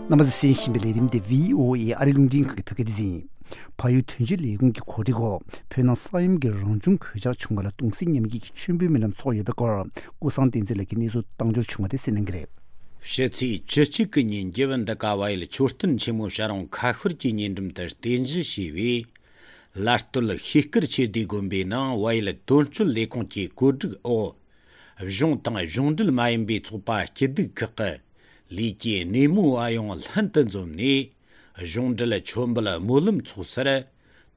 རྣམ་པ་ཚོས་གསན་བཞིན་པའི་ལས་རིམ་དེ་བྷི་ཨོ་ཨེ་ཨ་རིའི་རླུང་འཕྲིན་ཁང་གི་བོད་སྐད་སྡེ་ཚན་ཡིན། བལ་ཡུལ་དོན་གཅོད་ལས་ཁུངས་ཀྱི་གོ་སྒྲིག་འོག་བོད་ནང་ས་ཡོམ་གྱི་རང་བྱུང་གོད་ཆག་བྱུང་བ་ལ་གདུང་སེམས་མཉམ་སྐྱེད་ཀྱི་མཆོད་འབུལ་སྨོན་ལམ་ཚོགས་ཡོད་པའི་སྐོར་ཀུན་བཟང་བསྟན་འཛིན་ལགས་ཀྱིས་གནས་ཚུལ་བཏང་འབྱོར་བྱུང་བ་དེ་གསན་གནང་གི་རེད། ཕྱི་ཚེས་བཅུ་གཅིག་གི་ཉིན་རྒྱལ་བུ་འདི་ཀ་བལ་ཡུལ་མཆོད་རྟེན་ཆེན་མོ་བྱ་རུང་ཁ་ཤོར་གྱི་ཉེ་འགྲམ་དུ་རྟེན་གཞི་བྱས་པའི་ལ་སྟོད་ཤེལ་དཀར་ཆོས་སྡེ་དགོན་པའི་ནང་བལ་ཡུལ་དོན་གཅོད་ལས་ཁུངས་ཀྱི་བཀོད་སྒྲིག་འོག་གཞུང་དང་གཞུང་འབྲེལ་མ་ཡིན་པའི་ཚོགས་པ་སྐྱིད་སྡུག་ཁག་གི་ལས་ཀའི་སྣེ་མོ་བ་ཡོངས་ལྷན་དུ་འཛོམས་ནས། གཞུང་འབྲེལ་མཆོད་འབུལ་སྨོན་ལམ་ཚོགས་སར།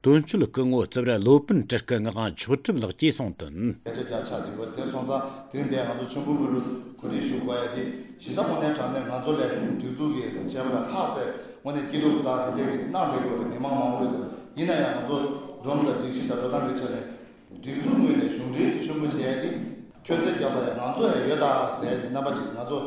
དོན་གཅོད་སྐུ་ངོ་རྩིབས་རི་སློབ་དཔོན་སྤྲུལ་སྐུ་ངག་དབང་མཆོག་གྲུབ་ལགས་ཀྱིས་གསུངས་དོན། སྐད་ཆ་བརྒྱ་ཆགས་དེ་བར་དེ་སོང་ཙང་དེ་རིང་འདིར་ང་ཚོ་ཆོས་འབུལ་སྨོན་ལམ་གོ་སྒྲིག་ཞུ་དགོས་ཡ་དེ་གཞི་རྩ་དངོས་གནས་དྲང་གནས་ང་ཚོ་ལས་སྒྲིག་འཛུགས་ཀྱི་བྱས་པ་ལ་ལྷག་ཚད་དངོས་གནས་སྐྱིད་སྡུག་དང་དེ་འདྲའི་གནང་བསྡད་དགོས་རེད། མི་མང་མང་པོ་ཡོད་དེ་ཡིན་ན་ཡང་ང་ཚོ་སྒྲོམ་དང་སྒྲིག་གཞི་དང་འགྲོ་སྟངས་ཀྱི་ཆ་ནས། སྒྲིག་འཛུགས་ངོས་ནས་གཞུང་འབྲེལ་གྱི་ཆོས་འབུལ་བྱས་ཏེ། ཁྱོད་ཚོས་བརྒྱབ་པ་ཡང་ང་ཚོ་ཡང་ཡོད་ད་ཟེར་གྱི་རྣམ་པ་ཅིག་ང་ཚོ།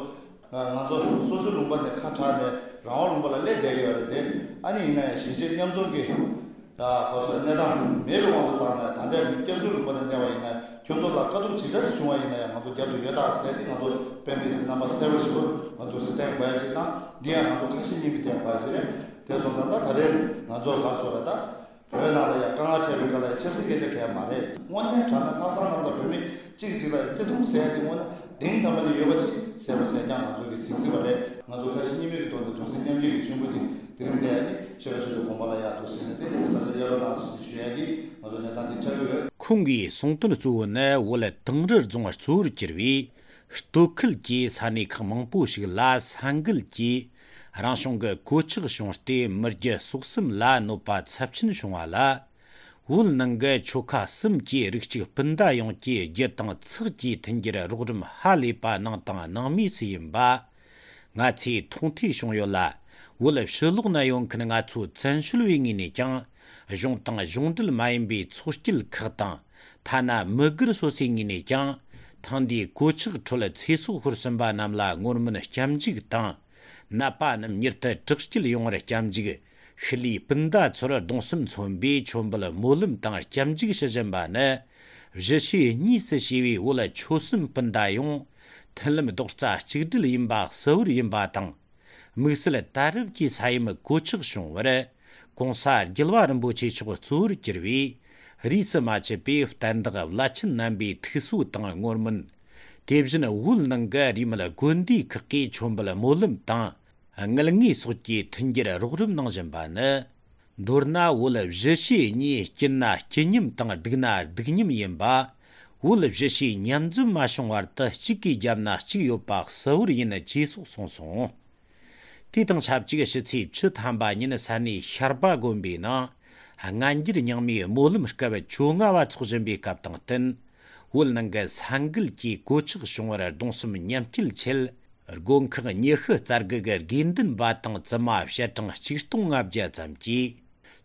ང་ཚོ་སོ་སོའི་ལུང་པ་ནས་ཁ་གྲགས་ནས་རང་དབང་ལུང་པ་ལ་སླེབས་བསྡད་ཡོད་རེད་དེ། ཨ་ནི་ཡིན་ན་ཡང་གཞིས་བྱེས་མཉམ་འཛོམས་ཀྱི་གོ་སོགས་གནས་སྟངས་མེད་པའི་དབང་དུ་བཏང་ནས་ད་ལྟའི་སྐྱབས་བཅོལ་ལུང་པ་ནས་གནས་པ་ཡིན་ན་ཁྱོད་ཚོ་ལ་དཀའ་སྡུག་ཇི་འདྲ་ཞིག་བྱུང་བ་ཡིན་ན་ཡང་ང་ཚོ་རྒྱབ་ཏུ་ཡོད་ད་ཟེར་ཏེ། ང་ཚོ་སྤེན་པའི་སྲིད་རྣམ་པ་གསལ་པོ་ཞིག་ང་ཚོ་སྲིད་བསྟན་དགོས་ཡ་ཞིག་དང་། འདི་ཡང་ང་ཚོ་ཁ་ཞེ་གཉིས་མེད་བསྟན་དགོས་ཡ་ཞིག་རེད། དེ་སོང་ཙང་ད་ད་རེས་ང་ཚོ་ག་སོ་ར་ད། བོད་ནང་ལ་ཡང་དཀའ་ངལ་འཕྲད་པའི་སྐབས་ལ་ཡང་ཆབ་སྲིད་སྐད་ཆ་གང་ཡང་མ་རེད། དངོས་གནས་དྲང་གནས་ལྷག་བསམ་རྣམ་དག་བོད་མི་གཅིག་གིས་གཅིག་ལ་ཡང་བརྩེ་དུང་ཟེར་ཡ་དེ་དངོས་གནས་གཏིང་ཟབ་པ་ནས་ཡོད་པ་ཅིག་གསལ་པོ་གསལ་རྐྱང་ང་ཚོ་གིས་གཟིགས་སྲིད་པ་རེད། ང་ཚོ་ཁ་ཞེ་གཉིས་མེད་ཀྱི་ཐོག་ནས་གདུང་སེམས་མཉམ་སྐྱེད་ཀྱི་མཆོད་འབུལ་དེ་དེ་རིང་འདིར་ཨ་ནི་ཆོས་པ་ཆོས་ཀྱི་དགོངས་པ་ལ་ཡག་ཏུ་གཟིགས་ནས་དེ་ས་ཆ་གཡར་རོགས་གནང་ཟེར་ནས་ཞུ་ཡ་དེ་ང་ཚོ་གནས་སྟངས་དེ་ཆགས་ཀྱི་ཡོད། ཁོང་གིས་གསུངས་དོན་གཙོ་བོ་ནི་བོད་དིང་རི་རྫོང་གཙོ་བོར་གྱུར་པའི་སྟོད་ཁུལ་གྱི་ས་གནས་ཁག་མང་པོ་ཞིག་ལ་ས་འགུལ་གྱིས་རང་བྱུང་གི་གོད་ཆག་བྱུང་སྟེ་མི་རྒྱུ་སྲོག་གསུམ་ལ་གནོད་པ་ཚབས་ཆེན་བྱུང་བ་ལ། བོད་ནང་གི་ཆོལ་ཁ་གསུམ་གྱི་རིགས་གཅིག་སྤུན་ཟླ་ཡོངས་ཀྱིས་རྒྱུ་དང་ཚེགས་ཀྱིས་མཐུན་འགྱུར་རོགས་རམ་ཧ་ལས་པ་གནང་དང་གནང་མུས་སུ་ཡིན་པ་ང་ཚོས་མཐོང་ཐོས་བྱུང་ཡོད་ལ། བོད་ཕྱི་ལོགས་ན་ཡོད་མཁན་ང་ཚོ་བཙན་བྱོལ་བའི་ངོས་ནས་ཀྱང་གཞུང་དང་གཞུང་འབྲེལ་མ་ཡིན་པའི་ཚོགས་སྐྱིད་ཁག་དང་། ཐ་ན་མི་སྒེར་སོ་སོའི་ངོས་ནས་ཀྱང་ཐེངས་འདིའི་གོད་ཆག་ཁྲོད་ཚེ་སྲོག་ཤོར་ཟིན་པ་རྣམས་ལ་ངོ་མིན་སྐྱབས་འཇུག་དང་། ནད་པ་རྣམས་མྱུར་དུ་དྲག་སྐྱེད་ཡོང་བར་སྐྱབས་འཇུག། ཤུལ་ལུས་སྤུན་ཟླ་ཚོར་གདུང་སེམས་མཚོན་པའི་མཆོད་འབུལ་སྨོན་ལམ་དང་སྐྱབས་འཇུག་ཞུ་བཞིན་པ་ནི། གཞིས་བྱེས་གཉིས་སུ་གཤིབ་པའི་བོད་ཆོལ་གསུམ་སྤུན་ཟླ་ཡོངས་མཐུན་ལམ་རྡོག་རྩ་གཅིག་སྒྲིལ་ཡིན་པ་གསལ་བོར་ཡིན་པ་དང་། དམིགས་བསལ་ད་རེབ་ཀྱི་ས་ཡོམ་གོད་ཆག་བྱུང་བར། ྋགོང་ས་རྒྱལ་བ་རིན་པོ་ཆེ་མཆོག་གཙོ་བོར་གྱུར་བའི་རིས་སུ་མ་ཆད་པའི་བསྟན་བདག་བླ་ཆེན་རྣམ་པའི་ཐུགས་གསོ་དང་བསྔོ་སྨོན། དེ་བཞིན་བོད་ནང་གི་རིས་མེད་དགོན་སྡེ་ཁག་གིས་མཆོད་འབུལ་སྨོན་ལམ་དང་། དངུལ་དངོས་སོགས་ཀྱི་མཐུན་འགྱུར་རོགས་རམ་གནང་བཞིན་པ་ནི། མདོར་ན་བོད་གཞིས་བྱེས་གཉིས་སྐྱིད་ན་སྐྱིད་མཉམ་དང་སྡུག་ན་སྡུག་མཉམ་ཡིན་པ། བོད་གཞིས་བྱེས་མཉམ་འཛོམས་མ་བྱུང་བར་དུ་གཅིག་གིས་བརྒྱབ་ན་གཅིག་ཡོད་པ་གསལ་བོར་ཡིན་ཅེས་སོགས་གསུངས་སོང་། དེ་དང་ཆབས་ཅིག་ཕྱི་ཚེས་བཅུ་ཐམ་པ་ཉིན་ས་གནས་ཤར་པ་དགོན་པའི་ནང་སྔ་འགྱུར་རྙིང་མའི་སྨོན་ལམ་སྐབས་བཅོ་ལྔ་བ་འཚོགས་བཞིན་པའི་སྐབས་དང་བསྟུན། བོད་ནང་གི་ས་འགུལ་གྱིས་གོད་ཆག་བྱུང་བར་གདུང་སེམས་མཉམ་སྐྱེད་ཆེད། དགོན་ཁག་ཉི་ཤུ་རྩ་དགུ་གི་དགེ་འདུན་པ་དང་བཙུན་མ་བཤད་གྲངས་ཆིག་སྟོང་ལྔ་བརྒྱ་ཙམ་གྱིས།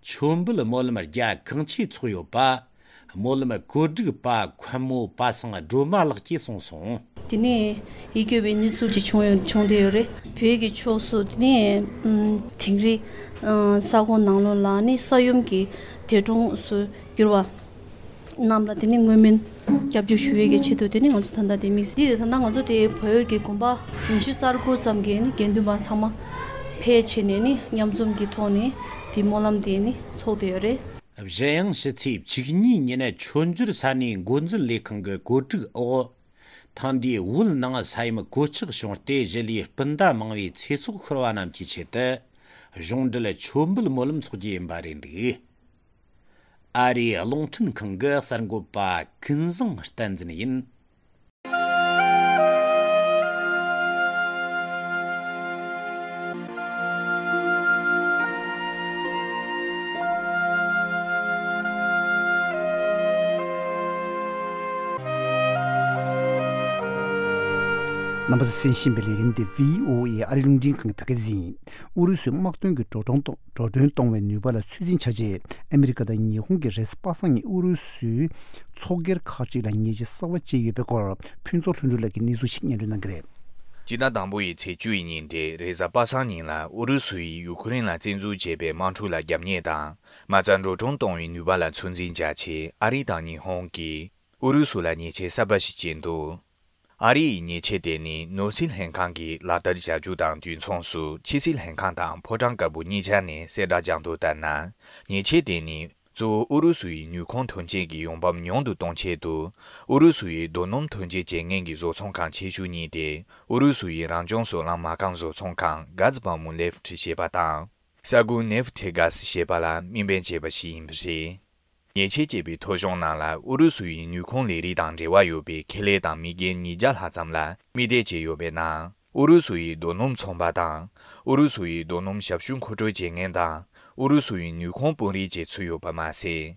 མཆོད་འབུལ་སྨོན་ལམ་རྒྱ་གང་ཆེ་ཚོགས་ཡོད་པ། སྨོན་ལམ་བཀོད་སྒྲིག་པ་མཁན་མོ་པ་སངས་སྒྲོལ་མ་ལགས་ཀྱིས་གསུངས་སོང་། དེ་ནས་ཡིད་སྐྱོ་བའི་གནས་ཚུལ་ཅིག་བྱུང་ཡོད་བྱུང་བསྡད་ཡོད་རེད། བོད་ཀྱི་ཕྱོགས་སུ་དེ་ནས་ཨམ་དིང་རི་ཨ་ས་ཁོངས་ནང་ལོགས་ལ་ནི་ས་ཡོམ་གྱི་འདས་གྲོངས་སུ་གྱུར་བ་རྣམས་ལ་དེ་ནི་བསྔོ་སྨོན་སྐྱབས་བཅོལ་ཞུ་ཡས་ཀྱི་ཆེད་དུ་དེ་ནི་ང་ཚོ་ད་ལྟ་དེ་དམིགས་བསལ་དེ་ད་ལྟ་ང་ཚོ་དེ་བོད་ཀྱི་དགོན་པ་ཉི་ཤུ་རྩ་དགུ་ཙམ་གྱི་ནི་དགེ་འདུན་པ་ཚང་མ་ཕལ་ཆེར་ནས་ནི་མཉམ་འཛོམས་ཀྱི་ཐོག་ནས་དེ་སྨོན་ལམ་དེ་ནི་ཚོགས་བསྡད་ཡོད་རེད། གཞན་ཡང་ཕྱི་ཚེས་བཅུ་གཉིས་ཉིན་མཆོད་འཇོར་ས་གནས་འགོ་འཛིན་ལས་ཁང་གི་བཀོད་སྒྲིག་འོག་ཐེངས་འདིའི་བོད་ནང་ས་ཡོམ་གོད་ཆག་བྱུང་སྟེ་གཞིས་ལུས་སྤུན་ཟླ་མང་བོའི་ཚེ་སྲོག་ཤོར་བ་རྣམས་ཀྱི་ཆེད་དུ་གཞུང་འབྲེལ་མཆོད་འབུལ་སྨོན་ལམ་འཚོགས་རྒྱུ་ཡིན་པ་རེད་འདུག་ཨ་རིའི་རླུང་འཕྲིན་ཁང་གི་གསར་འགོད་པ་ཀུན་བཟང་བསྟན་འཛིན་ཡིན། རྣམ་པ་ཚོས་གསན་བཞིན་པའི་ལས་རིམ་དེ་བྷི་ཨོ་ཨེ་ཨ་རི་རླུང་འཕྲིན་ཁང་གི་བོད་སྐད་སྡེ་ཚན་ཡིན། ཨུ་རུ་སུའི་དམག་དོན་གྱི་འགྲོ་གྲོན་གཏོང་འགྲོ་གྲོན་གཏོང་བའི་ནུས་པ་ལ་ཚོད་འཛིན་བྱ་ཆེད། ཨ་མི་རི་ཀ་དང་ཉི་ཧོང་གིས་རེས་གཟའ་པ་སངས་ཉིན་ཨུ་རུ་སུའི་ཚོགས་སྒེར་ཁག་ཅིག་ལ་ཉེས་ཆད་གསར་པ་བཅད་ཡོད་པའི་སྐོར། ཕུན་ཚོགས་ལྷུན་གྲུབ་ལགས་ཀྱིས་གནས་ཚུལ་ཞིག་སྙན་སྒྲོན་གནང་གི་རེད། སྤྱི་ཟླ་དང་པོ་ཡི་ཚེས་བཅུ་ཡི་ཉིན་དེ་རེས་གཟའ་པ་སངས་ཉིན་ལ་ཨུ་རུ་སུ་ཡིས་ཡུ་ཁུ་རེན་ལ་བཙན་འཛུལ་བྱས་པའི་དམག་འཁྲུག་ལ་རྒྱབ་གཉེར་དང་། མ་རྩ་འགྲོ་གྲོན་གཏོང་བའི་ནུས་པ་ལ་ཚོད་འཛིན་བྱ་ཆེད་ཨ་རི་དང་ཉི་ཧོང་གིས། ཨུ་རུ་སུ་ལ་ཉེས་ཆད་གསར་པ་ཞིག་བཅད་འདུག་ཨ་རི་ཡི་ཉེས་ཆད་དེ་ནི་ནོར་སྲིད་ལྷན་ཁང་གིས་ལག་བསྟར་བྱ་རྒྱུ་དང་དུས་མཚུངས་སུ་ཕྱི་སྲིད་ལྷན་ཁང་དང་ཕོ་བྲང་དཀར་པོ་གཉིས་ཆ་ནས་གསལ་བསྒྲགས་བྱུང་དོན་ལྟར་ན། ཉེས་ཆད་དེ་ནི་གཙོ་བོ་ཨུ་རུ་སུ་ཡི་ནུས་ཁུངས་ཐོན་སྐྱེད་ཀྱི་ཡོང་འབབ་ཉུང་དུ་གཏོང་ཆེད་དུ། ཨུ་རུ་སུ་ཡི་རྡོ་སྣུམ་ཐོན་སྐྱེད་བྱེད་མཁན་གྱི་བཟོ་ཚོང་ཁང་ཆེ་ཤོས་གཉིས་ཏེ། ཨུ་རུ་སུ་ཡི་རང་བྱུང་སོལ་རླངས་མ་རྐང་བཟོ་ཚོང་ཁང་གྷ་ཛ་བྷ་མུ་ནེབ་ཊི་ཞེས་པ་དང་། ས་གུ་ནེབ་ཊི་གྷ་ཟ་ཞེས་པ་ལ་དམིགས་འབེན་བྱས་པ་ཞིག་ཡིན་པ་རེད། ཉེས་ཆད་བཅད་པའི་ཐོ་གཞུང་ནང་ལ་ཨུ་རུ་སུ་ཡི་ནུས་ཁུངས་ལས་རིགས་དང་འབྲེལ་བ་ཡོད་པའི་ཁེ་ལས་དང་མི་སྒེར་ཉིས་བརྒྱ་ལྷག་ཙམ་ལ་དམིགས་གཏད་བྱས་ཡོད་པའི་ནང་། ཨུ་རུ་སུ་ཡི་རྡོ་སྣུམ་ཚོང་པ་དང་། ཨུ་རུ་སུ་ཡི་རྡོ་སྣུམ་ཞབས་ཞུ་མཁོ་སྤྲོད་བྱེད་མཁན་དང་། ཨུ་རུ་སུ་ཡི་ནུས་ཁུངས་དཔོན་རིགས་བཅས་ཚུད་ཡོད་པ་མ་ཟད།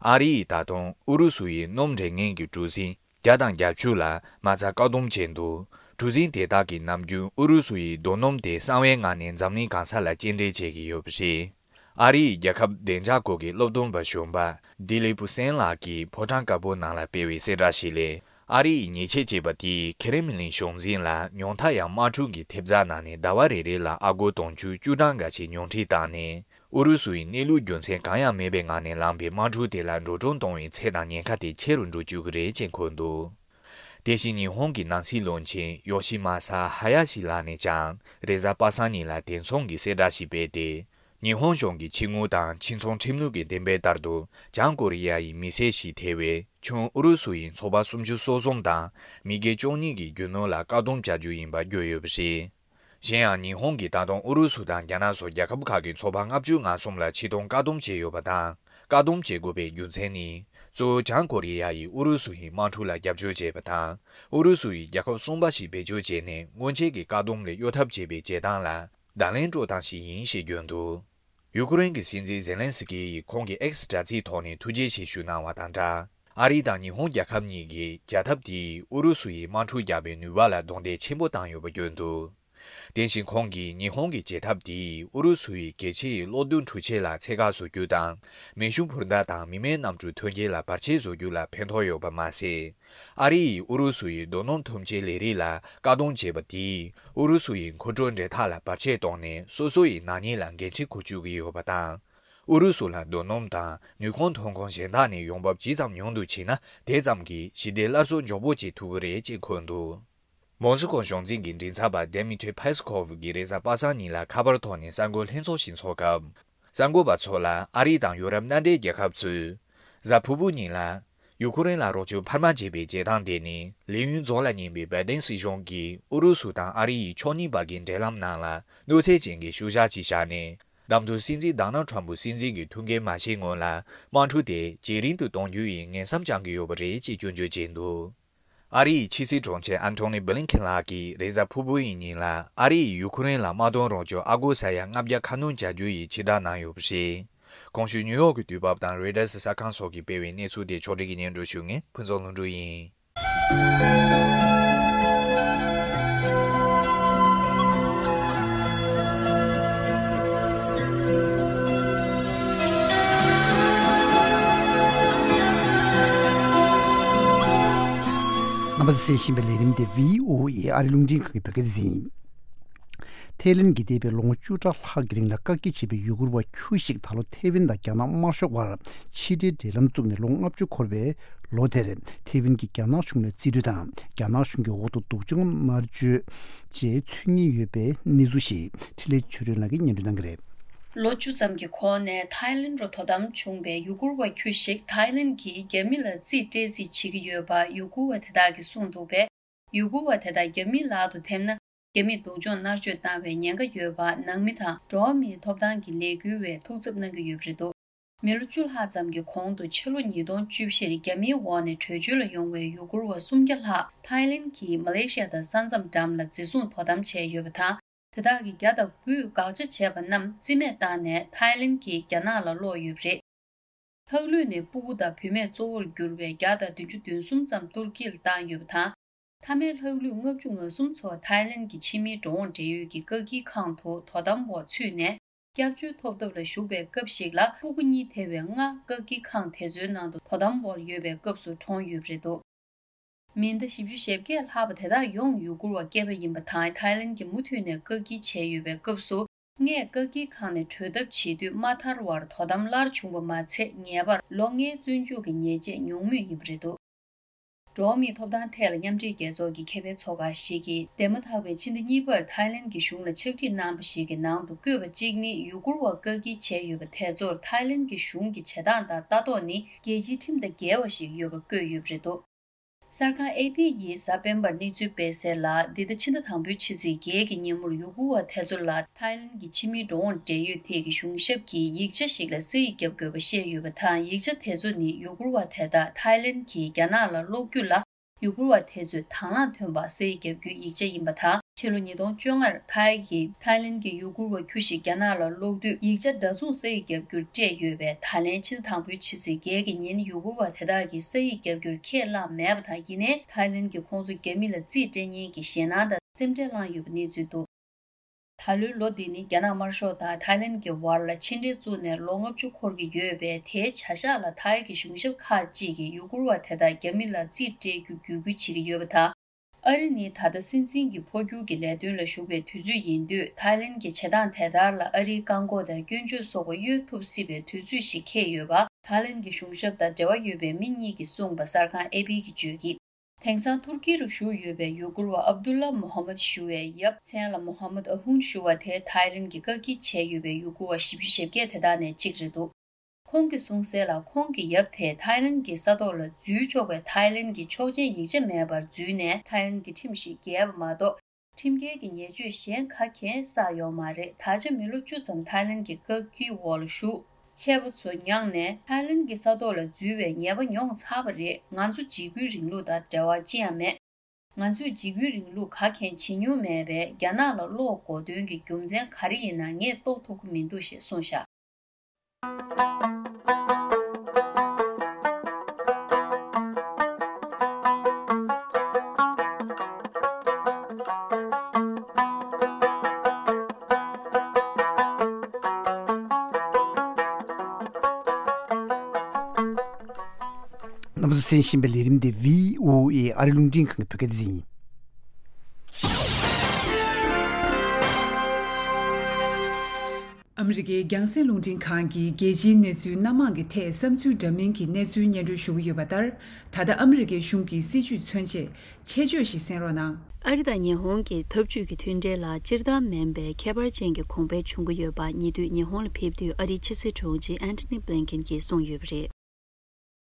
ཨ་རི་ཡིས་ད་དུང་ཨུ་རུ་སུ་ཡི་སྣུམ་འདྲེན་མཁན་གྱི་གྲུ་གཟིངས་བརྒྱ་དང་བརྒྱད་ཅུ་ལ་མ་རྩ་བཀག་སྡོམ་བྱས་འདུག་གྲུ་གཟིངས་དེ་དག་གིས་ནམ་རྒྱུན་ཨུ་རུ་སུ་ཡི་རྡོ་སྣུམ་དེ་གསང་བའི་ངང་ནས་འཛམ་གླིང་གང་ས་ལ་སྐྱེལ་འདྲེན་བྱེད་ཀྱི་ཡོད་པ་རེད། ཨ་རིའི་རྒྱལ་ཁབ་བདེ་འཇགས་སྐོར་གྱི་སློབ་སྟོན་པ་གཞོན་པ་ལྡི་ལི་པུ་སན་ལགས་ཀྱིས་ཕོ་བྲང་དཀར་པོ་ནང་ལ་སྤེལ་བའི་གསལ་བསྒྲགས་ཤིག་ལས། ཨ་རི་ཡིས་ཉེས་ཆད་བཅད་པ་དེས་ཁེ་རེ་མི་ལིན་གཞུང་འཛིན་ལ་ཉུང་མཐའ་ཡང་དམག་འཁྲུག་གི་ཐེབས་རྩ་ནང་ནས་ཟླ་བ་རེ་རེ་ལ་ཨ་སྒོར་དུང་ཕྱུར་བཅུ་གྲངས་འགའ་ཞིག་ཉུང་འཕྲི་བཏང་ནས། ཨུ་རུ་སུ་ཡི་གནས་ལུགས་རྒྱུ་མཚན་གང་ཡང་མེད་པའི་ངང་ནས་ལངས་པའི་དམག་འཁྲུག་དེ་ལ་འགྲོ་གྲོན་གཏོང་བའི་ཚད་དང་ཉེན་ཁ་དེ་ཆེ་རུ་འགྲོ་བཅུག་གི་རེད་ཅེས་འཁོད་འདུག་དེ་བཞིན་ཉི་ཧོང་གི་ནང་སྲིད་བློན་ཆེན་ཡོ་ཤི་མ་ས་ཧ་ཡ་ཤི་ལགས་ནས་ཀྱང་རེས་གཟའ་པ་སངས་ཉིན་ལ་དེ་མཚུངས་ཀྱི་གསལ་བསྒྲགས་ཤིག་སྤེལ་ཏེ། ཉི་ཧོང་གཞུང་གི་ཕྱི་དངུལ་དང་ཕྱི་ཚོང་ཁྲིམས་ལུགས་ཀྱི་གཏན་འབེབས་ལྟར་དུ། བྱང་ཀོ་རི་ཡ་ཡི་མི་སེར་ཞིག་ཐེ་བའི་ཁྱོན་ཨུ་རུ་སུ་ཡི་ཚོ་པ་སུམ་ཅུ་སོ་གསུམ་དང་མི་སྒེར་བཅུ་གཉིས་ཀྱི་རྒྱུ་ནོར་ལ་བཀག་སྡོམ་བྱ་རྒྱུ་ཡིན་པ་བརྗོད་ཡོད་པ་རེད། གཞན་ཡང་ཉི་ཧོང་གིས་ད་དུང་ཨུ་རུ་སུ་དང་རྒྱ་ནག་སོགས་རྒྱལ་ཁབ་ཁག་གི་ཚོ་པ་ལྔ་བཅུ་ང་གསུམ་ལ་ཕྱིར་གཏོང་བཀག་སྡོམ་བྱས་ཡོད་པ་དང་། བཀག་སྡོམ་བྱེད་དགོས་པའི་རྒྱུ་མཚན་ནི། གཙོ་བོ་བྱང་ཀོ་རི་ཡ་ཡིས་ཨུ་རུ་སུ་ཡི་དམག་འཁྲུག་ལ་རྒྱབ་སྐྱོར་བྱས་པ་དང་། ཨུ་རུ་སུ་ཡིས་རྒྱལ་ཁབ་གསུམ་པ་ཞིག་བེད་སྤྱོད་བྱས་ནས་སྔོན་ཆད་ཀྱི་བཀག་སྡོམ་ལས་གཡོལ་ཐབས་བྱས་པའི་བྱེད་སྟངས་ལ་བརྡ་ལན་སྤྲོད་སྟངས་ཤིག་ཡིན་ཞེས་བརྗོད་འདུག་ཡུ་ཀེ་རེན་གྱི་སྲིད་འཛིན་ཛེ་ལན་སི་ཀི་ཡིས་ཁོང་གི་ཨེག་སི་དྲ་ཚིགས་ཐོག་ནས་ཐུགས་རྗེ་ཆེ་ཞུ་གནང་བ་དང་སྦྲགས། ཨ་རི་དང་ཉི་ཧོང་རྒྱལ་ཁབ་གཉིས་ཀྱིས་བྱ་ཐབས་དེས་ཨུ་རུ་སུ་ཡི་དམག་འཁྲུག་རྒྱག་པའི་ནུས་པ་ལ་རྡུང་རྡེག་ཆེན་པོ་བཏང་ཡོད་པ་བརྗོད་འདུག་དེ་བཞིན་ཁོང་གིས་ཉི་ཧོང་གི་བྱེད་ཐབས་དེས་ཨུ་རུ་སུ་ཡི་གལ་ཆེའི་གློག་རྡུལ་འཕྲུལ་ཆས་ལ་ཚད་བཀག་བཟོ་རྒྱུ་དང་མེ་ཤུགས་འཕུར་མདའ་དང་མི་མེད་གནམ་གྲུ་ཐོན་སྐྱེད་ལ་བར་ཆད་བཟོ་རྒྱུ་ལ་ཕན་ཐོགས་ཡོད་པ་མ་ཟད། ཨ་རི་ཡིས་ཨུ་རུ་སུ་ཡི་རྡོ་སྣུམ་ཐོན་སྐྱེད་ལས་རིགས་ལ་བཀག་སྡོམ་བྱས་པ་དེས་ཨུ་རུ་སུ་ཡི་མཁོ་སྤྲོད་འབྲེལ་ཐག་ལ་བར་ཆད་བཏང་ནས་སོ་སོ་ཡི་ནག་ཉེས་ལ་འགན་འཁྲི་འཁུར་བཅུག་གི་ཡོད་པ་དང་། ཨུ་རུ་སུ་ལ་རྡོ་སྣུམ་དང་ནུས་ཁུངས་ཐོན་ཁུངས་གཞན་དག་ནས་ཡོང་འབབ་ཇི་ཙམ་ཉུང་དུ་ཕྱིན་ན་དེ་ཙམ་གྱིས་ཞི་བདེ་སླར་གསོ་མགྱོགས་པོ་བྱེད་ཐུབ་ཀྱི་རེད་ཅེས་འཁོད་འདུག་མོ་སི་ཀོ་གཞུང་འཛིན་གྱི་མགྲིན་ཚབ་པ་Dmitry Peskov གིས་རེས་གཟའ་པ་སངས་ཉིན་ལ་ཁ་པར་ཐོག་ནས་གསར་འགོད་ལྷན་ཚོགས་ཤིག་འཚོགས་སྐབས། གསར་འགོད་པ་ཚོ་ལ་ཨ་རི་དང་ཡོ་རོབ་མནའ་འབྲེལ་རྒྱལ་ཁབ་ཚོས། གཟའ་ཕུར་བུ་ཉིན་ལ། ཡུ་ཁུ་རེན་ལ་རོགས་སྐྱོར་འཕར་མ་བྱེད་པའི་བྱེད་སྟངས་དེ་ནི་ལས་ཡུན་རྫོགས་ལ་ཉེ་བའི་བའི་ཏན་སྲིད་གཞུང་གིས་ཨུ་རུ་སུ་དང་ཨ་རི་ཡི་ཕྱོགས་གཉིས་བར་གྱི་འབྲེལ་ལམ་ནང་ལ་གནོད་འཚེ་ཅན་གྱི་ཤུལ་བཞག་ཅིག་བཞག་ནས། གདམ་འཐུ་སྲིད་འཛིན་ཌོ་ནལ་ཁྲམ་ཕུ་སྲིད་འཛིན་གྱི་ཐུགས་འགན་མ་བཞེས་སྔོན་ལ་དམག་འཁྲུག་དེ་ཇེ་རིང་དུ་གཏོང་རྒྱུ་ཡི་ངན་བསམ་བཅངས་ཀྱི་ཡོད་པ་རེད་ཅེས་སྐྱོན་བརྗོད་བྱས་འདུག་ཨ་རི་ཡི་ཕྱི་སྲིད་དྲུང་ཆེ་ཨན་ཐོ་ནི་བྷི་ལིན་ཁེན་ལགས་ཀྱིས་རེས་གཟའ་ཕུར་བུ་ཡི་ཉིན་ལ་ཨ་རི་ཡིས་ཡུ་ཁུ་རེན་ལ་དམག་དོན་རོགས་སྐྱོར་ཨ་སྒོར་ས་ཡ་ལྔ་བརྒྱ་ཁ་སྣོན་བྱ་རྒྱུ་ཡི་ཕྱིར་བསྒྲགས་གནང་ཡོད་པ་རེད། གོང་ཞུས་ནིའུ་ཡོག་གི་དུས་བབ་དང་རོའི་ཊར་གསར་ཁང་སོགས་ཀྱིས་སྤེལ་བའི་གནས་ཚུལ་དེ་ཕྱོགས་སྒྲིག་གིས་སྙན་སྒྲོན་ཞུ་མཁན་ཕུན་ཚོགས་ལྷུན་གྲུབ་ཡིན། རྣམ་པ་ཚོས་གསན་བཞིན་པའི་ལས་རིམ་དེ་བྷི་ཨོ་ཨེ་ཨ་རི་རླུང་འཕྲིན་ཁང་གི་བོད་སྐད་སྡེ་ཚན་ཡིན། ཐའི་ལན་གྱིས་འདས་པའི་ལོ་ངོ་བཅུ་ཕྲག་ལྷག་གི་རིང་ལ་བཀག་སྐྱིལ་བྱས་པའི་ཡུ་གུར་བ་ཁྱུ་ཞིག་ད་ལོ་ཐའེ་ཝན་དང་རྒྱ་ནག་དམར་ཤོག་བར་ཕྱི་འབྲེལ་འབྲེལ་ལམ་བཙུགས་ནས་ལོ་ལྔ་བཅུ་འཁོར་བའི་ལོ་དེར་ཐའེ་ཝན་གྱིས་རྒྱ་ནག་གཞུང་ལ་རྩིས་སྤྲོད་དང་རྒྱ་ནག་གཞུང་གི་འོག་ཏུ་སྡུག་སྦྱོང་མནར་གཅོད་བཅས་ཚུད་ངེས་ཡོད་པའི་གནས་ཚུལ་ཞིག་འཕྲིན་ལས་ཆོས་སྒྲོན་ལགས་ཀྱིས་སྙན་སྒྲོན་གནང་གི་རེད། ལོ་བཅུ་ཙམ་གྱི་གོང་ནས་ཐའི་ལན་རུ་དོ་དམ་བྱུང་བའི་ཡུ་གུར་བ་ཁྱུ་ཞིག་ཐའི་ལན་གྱིས་རྒྱ་མི་ལ་རྩིས་སྤྲད་རྩིས་བྱེད་ཀྱི་ཡོད་པ་ཡུ་གུར་བ་དེ་དག་གིས་གསུངས་འདུག་པས། ཡུ་གུར་བ་དེ་དག་རྒྱ་མིའི་ལག་ཏུ་ཐེབས་ན། རྒྱ་མིས་སྡུག་སྦྱོང་མནར་གཅོད་བཏང་བའི་ཉེན་ཁ་ཡོད་པ་ནང་མི་དང་འགྲོ་བ་མིའི་ཐོབ་ཐང་གི་ལས་འགུལ་བས་ཐུགས་འཚབ་གནང་གི་ཡོད་པ་རེད་འདུག་མི་ལོ་བཅུ་ལྷག་ཙམ་གྱི་གོང་དུ་ཕྱི་ལོ་ཉིས་སྟོང་བཅུ་བཞིར་རྒྱ་མིའི་འོག་ནས་བྲོས་བྱོལ་ལ་ཡོང་བའི་ཡུ་གུར་བ་སུམ་བརྒྱ་ལྷག་ཐའི་ལན་གྱིས་མ་ལེ་ཤི་ཡ་དང་ས་མཚམས་འགྲམ་ལ་འཛིན་བཟུང་དོ་དམ་བྱས་ཡོད་པ་དང་། དེ་དག་གི་བརྒྱ་དང་དགུས་དགག་བྱ་བྱས་པ་རྣམས་རྩིས་མེད་བཏང་ནས་ཐའི་ལན་གྱིས་རྒྱ་ནག་ལ་སློག་ཡོད་པ་རེད། ལྷག་ལུས་ནས་སྤུ་གུ་དང་བུད་མེད་གཙོ་བོར་གྱུར་པའི་བརྒྱ་དང་བདུན་ཅུ་དོན་གསུམ་ཙམ་ཏུར་ཀི་ལ་བཏང་ཡོད་པ་དང་། མཐའ་མའི་ལྷག་ལུས་ལྔ་བཅུ་ང་གསུམ་ཚོ་ཐའི་ལན་གྱི་ཕྱི་མིའི་འགྲོ་འོང་འབྲེལ་ཡོད་ཀྱི་བཀག་སྐྱིལ་ཁང་དུ་དོ་དམ་འོག་ཚུད་ནས། སྐྱབས་བཅོལ་ཐོབ་ཐབས་ལ་ཞུགས་པའི་སྐབས་ཤིག་ལ་སྤུ་གུ་གཉིས་ཐེ་བའི་ལྔ་བཀག་སྐྱིལ་ཁང་དེ་ཚོའི་ནང་དུ་དོ་དམ་འོག་ཡོད་པའི་སྐབས་སུ་གྲོངས་ཡོད་པ་རེད་འདུག་མི་ཟླ་བཞི་བཅུ་ཞེ་བརྒྱད་ལྷག་པ་དེ་དག་ཡོངས་ཡུ་གུར་བ་སྐྱེས་པ་ཡིན་པ་དང་། ཐའི་ལན་གྱིས་མུ་མཐུད་ནས་བཀག་སྐྱིལ་བྱས་ཡོད་པའི་སྐབས་སུ། སྔས་བཀག་སྐྱིལ་ཁང་ནས་བྲོས་ཐབས་བྱེད་དུས་མ་ཐར་བར་དོ་དམ་སླར་བྱུང་པ་མ་ཚད། ངེས་པར་ལོ་ལྔའི་བཙོན་འཇུག་གི་ཉེས་ཆད་མྱོང་མུས་ཡིན་པ་རེད་འདུག་འགྲོ་བ་མིའི་ཐོབ་ཐང་ཐད་ལ་མཉམ་འབྲེལ་རྒྱལ་ཚོགས་ཀྱི་ཁེ་ཕན་ཚོགས་ཁང་ཞིག་གིས་འདས་མ་ཐག་པའི་ཕྱི་ཟླ་གཉིས་པར་ཐའི་ལན་གྱི་གཞུང་ལ་ཕྱག་བྲིས་གནང་བ་ཞིག་གི་ནང་དུ་བཀོད་པ་གཅིག་ནི། ཡུ་གུར་བ་བཀག་སྐྱིལ་བྱས་ཡོད་པ་དེ་ཚོར་ཐའི་ལན་གྱི་གཞུང་གི་བྱེད་སྟངས་དང་ལྟ་རྟོག་ནི་རྒྱལ་སྤྱིའི་ཁྲིམས་དང་འགལ་བ་ཞིག་ཡོད་པ་བཀོད་ཡོད་པ་རེད་འདུག་གསར་ཁང་ཨེ་པི་ཡིས་གཟའ་སྤེན་པར་གནས་ཚུལ་སྤེལ་གསལ་ལ། འདི་ཟླ་ཕྱི་ཟླ་དང་པོའི་ཕྱི་ཚེས་བརྒྱད་ཀྱི་ཉིན་མོར་ཡུ་གུར་བ་དེ་ཚོ་ལ་ཐའི་ལན་གྱི་ཕྱི་མིའི་འགྲོ་འོང་འབྲེལ་ཡོད་ཐད་ཀྱི་གཞུང་ཞབས་ཀྱིས་ཡིག་ཆ་ཞིག་ལ་ས་ཡིག་བརྒྱབ་དགོས་པ་བཤད་ཡོད་པ་དང་། ཡིག་ཆ་དེ་ཚོ་ནི་ཡུ་གུར་བ་དེ་དག་ཐའི་ལན་གྱིས་རྒྱ་ནག་ལ་སློག་རྒྱུ་ལ་ཡུ་གུར་བ་དེ་ཚོས་དང་བླངས་ཐོན་པར་ས་ཡིག་བརྒྱབ་རྒྱུའི་ཡིག་ཆ་ཡིན་པ་དང་། ཕྱི་ལོ་ཉིས་སྟོང་བཅོ་ལྔར་ཐའི་གིས་ཐའི་ལན་གྱི་ཡུ་གུར་བ་ཁྱུ་ཞིག་རྒྱ་ནག་ལ་སློག་དུས་ཡིག་ཆ་འདྲ་མཚུངས་ས་ཡིག་བརྒྱབ་རྒྱུར་སྤྲད་ཡོད་པས། ད་ལན་ཕྱི་ཟླ་དང་པོའི་ཕྱི་ཚེས་བརྒྱད་ཀྱི་ཉིན་ཡུ་གུར་བ་དེ་དག་གིས་ས་ཡིག་བརྒྱབ་རྒྱུར་ཁས་བླངས་མེད་པ་དང་། ཡིན་ནའི་ཐའི་ལན་གྱིས་ཁོང་ཚོ་རྒྱ་མི་ལ་རྩིས་སྤྲད་མཁན་གྱི་ཞེད་སྣང་དང་སེམས་ཁྲལ་བསླངས་ཡོད་པའི་གནས་ཚུལ་འདུག་ད་ལོའི་ལོ་འདི་ནི་རྒྱ་ནག་དམར་ཤོག་དང་ཐའི་ལན་གྱི་བར་ལ་ཕྱི་འབྲེལ་བཙུགས་ནས་ལོ་ལྔ་བཅུ་འཁོར་གྱི་ཡོད་པས། དེའི་བྱ་གཞག་ལ་ཐའི་གི་གཞུང་ཞབས་ཁག་ཅིག་གིས་ཡུ་གུར་བ་དེ་དག་རྒྱ་མི་ལ་རྩིས་སྤྲད་རྒྱུ་བརྒྱུད་སྐུལ་བྱེད་ཀྱི་ཡོད་པ་དང་། ཨ་རི་ནི་ད་ལྟ་སྲིད་འཛིན་གྱི་འཕོ་འགྱུར་གྱི་ལས་དོན་ལ་ཞུགས་པའི་དུས་ཚོད་ཡིན་དུས། ཐའི་ལན་གྱི་བྱེད་སྟངས་དེ་ལྟར་ལ་ཨ་རིའི་བཀག་འགོག་དང་སྐྱོན་བརྗོད་སོགས་པ་གཡོལ་ཐུབ་སྲིད་པའི་དུས་ཚོད་ཞིག་འཁེལ་ཡོད་པ་ཐའི་ལན་གྱི་གཞུང་ཞབས་དང་འབྲེལ་བ་ཡོད་པའི་མི་གཉིས་ཀྱིས་གསུངས་པ་གསར་ཁང་ཨེ་པི་གིས་བརྗོད་ཀྱིས། དེང་སང་ཐུར་ཀི་རུ་བཞུགས་ཡོད་པའི་ཡུ་གུར་བ་ཨབ་དུ་ལ་མོ་ཧ་མད་ཞུ་བའི་ཡབ། མཚན་ལ་མོ་ཧ་མད་ཨ་ཧུན་ཞུ་བ་དེ་ཐའི་ལན་གྱིས་བཀག་སྐྱིལ་བྱས་ཡོད་པའི་ཡུ་གུར་བ་བཞི་བཅུ་ཞེ་བརྒྱད་དེ་དག་ནས་གཅིག་རེད་འདུག་ཁོང་གིས་གསུངས་གསལ་ལ། ཁོང་གི་ཡབ་དེ་ཐའི་ལན་གྱི་ས་ཐོག་ལ་འཛུལ་ཆོག་པའི་ཐའི་ལན་གྱི་ཆོག་མཆན་ཡིག་ཆ་མེད་པར་འཛུལ་ནས། ཐའི་ལན་གྱི་ཁྲིམས་ཤིག་འགལ་བ་མ་གཏོགས། ཁྲིམས་འགལ་གྱི་ཉེས་སྤྱོད་གཞན་ག་གེ་བསགས་ཡོད་མ་རེད། ད་ཆ་མི་ལོ་བཅུ་ཙམ་ཐའི་ལན་གྱི་བཀག་སྐྱིལ་འོག་ལ་བཞུགས། ཆད་པ་ཚོ་མྱངས་ནས་ཐའི་ལན་གྱི་ས་ཐོག་ལ་འཛུལ་བའི་ངེས་པ་མྱོང་ཚར་བ་རེད། ང་ཚོ་འཇིགས་སྐུལ་རིང་ལུགས་དང་འབྲེལ་བ་ཅི་ཡང་མེད། ང་ཚོས་འཇིགས་སྐུལ་རིང་ལུགས་ག་གེ་བྱེད་མྱོང་མེད་པས། རྒྱ་ནག་ལ་སློག་དགོས་དོན་གྱི་རྒྱུ་མཚན་ག་རེ་ཡིན་ན་ངས་རྟོགས་ཐུབ་ཀྱི་མི་འདུག་ཞེས་གསུངས་བཞག་རྣམ་པ་ཚོ་གསན་བཞིན་པའི་ལས་རིམ་འདི་བྷི་ཨོ་ཨེ་ཨ་རི་རླུང་འཕྲིན་ཁང་གི་བོད་སྐད་སྡེ་ཚན་ཡིན། ཨ་མི་རི་ཀའི་རྒྱང་སྲིང་རླུང་འཕྲིན་ཁང་གིས་རྒྱལ་སྤྱིའི་གནས་ཚུལ་སྣ་མང་གི་ཐད་བསམ་ཚུལ་འདྲ་མིན་གྱི་གནས་ཚུལ་སྙན་སྒྲོན་ཞུ་གི་ཡོད་པ་ལྟར། ད་ལྟ་ཨ་མི་རི་ཀའི་གཞུང་གི་སྲིད་བྱུས་མཚོན་ཆེད་ཆེད་བརྗོད་ཞིག་གསན་རོགས་གནང་། ཨ་རི་དང་ཉི་ཧོང་གི་འཐབ་ཇུས་ཀྱི་མཐུན་འབྲེལ་ལ་སྤྱིར་བཏང་མིན་པའི་ཁྱད་པར་ཅན་གྱི་གོང་འཕེལ་བྱུང་གི་ཡོད་པ། ཉེ་དུས་ཉི་ཧོང་ལ་ཕེབས་དུས་ཨ་རིའི་ཕྱི་སྲིད་དྲུང་ཆེ་ཨན་ཐོ་ནི་བྷི་ལིན་ཀེན་གྱིས་གསུངས་ཡོད་པ་རེད།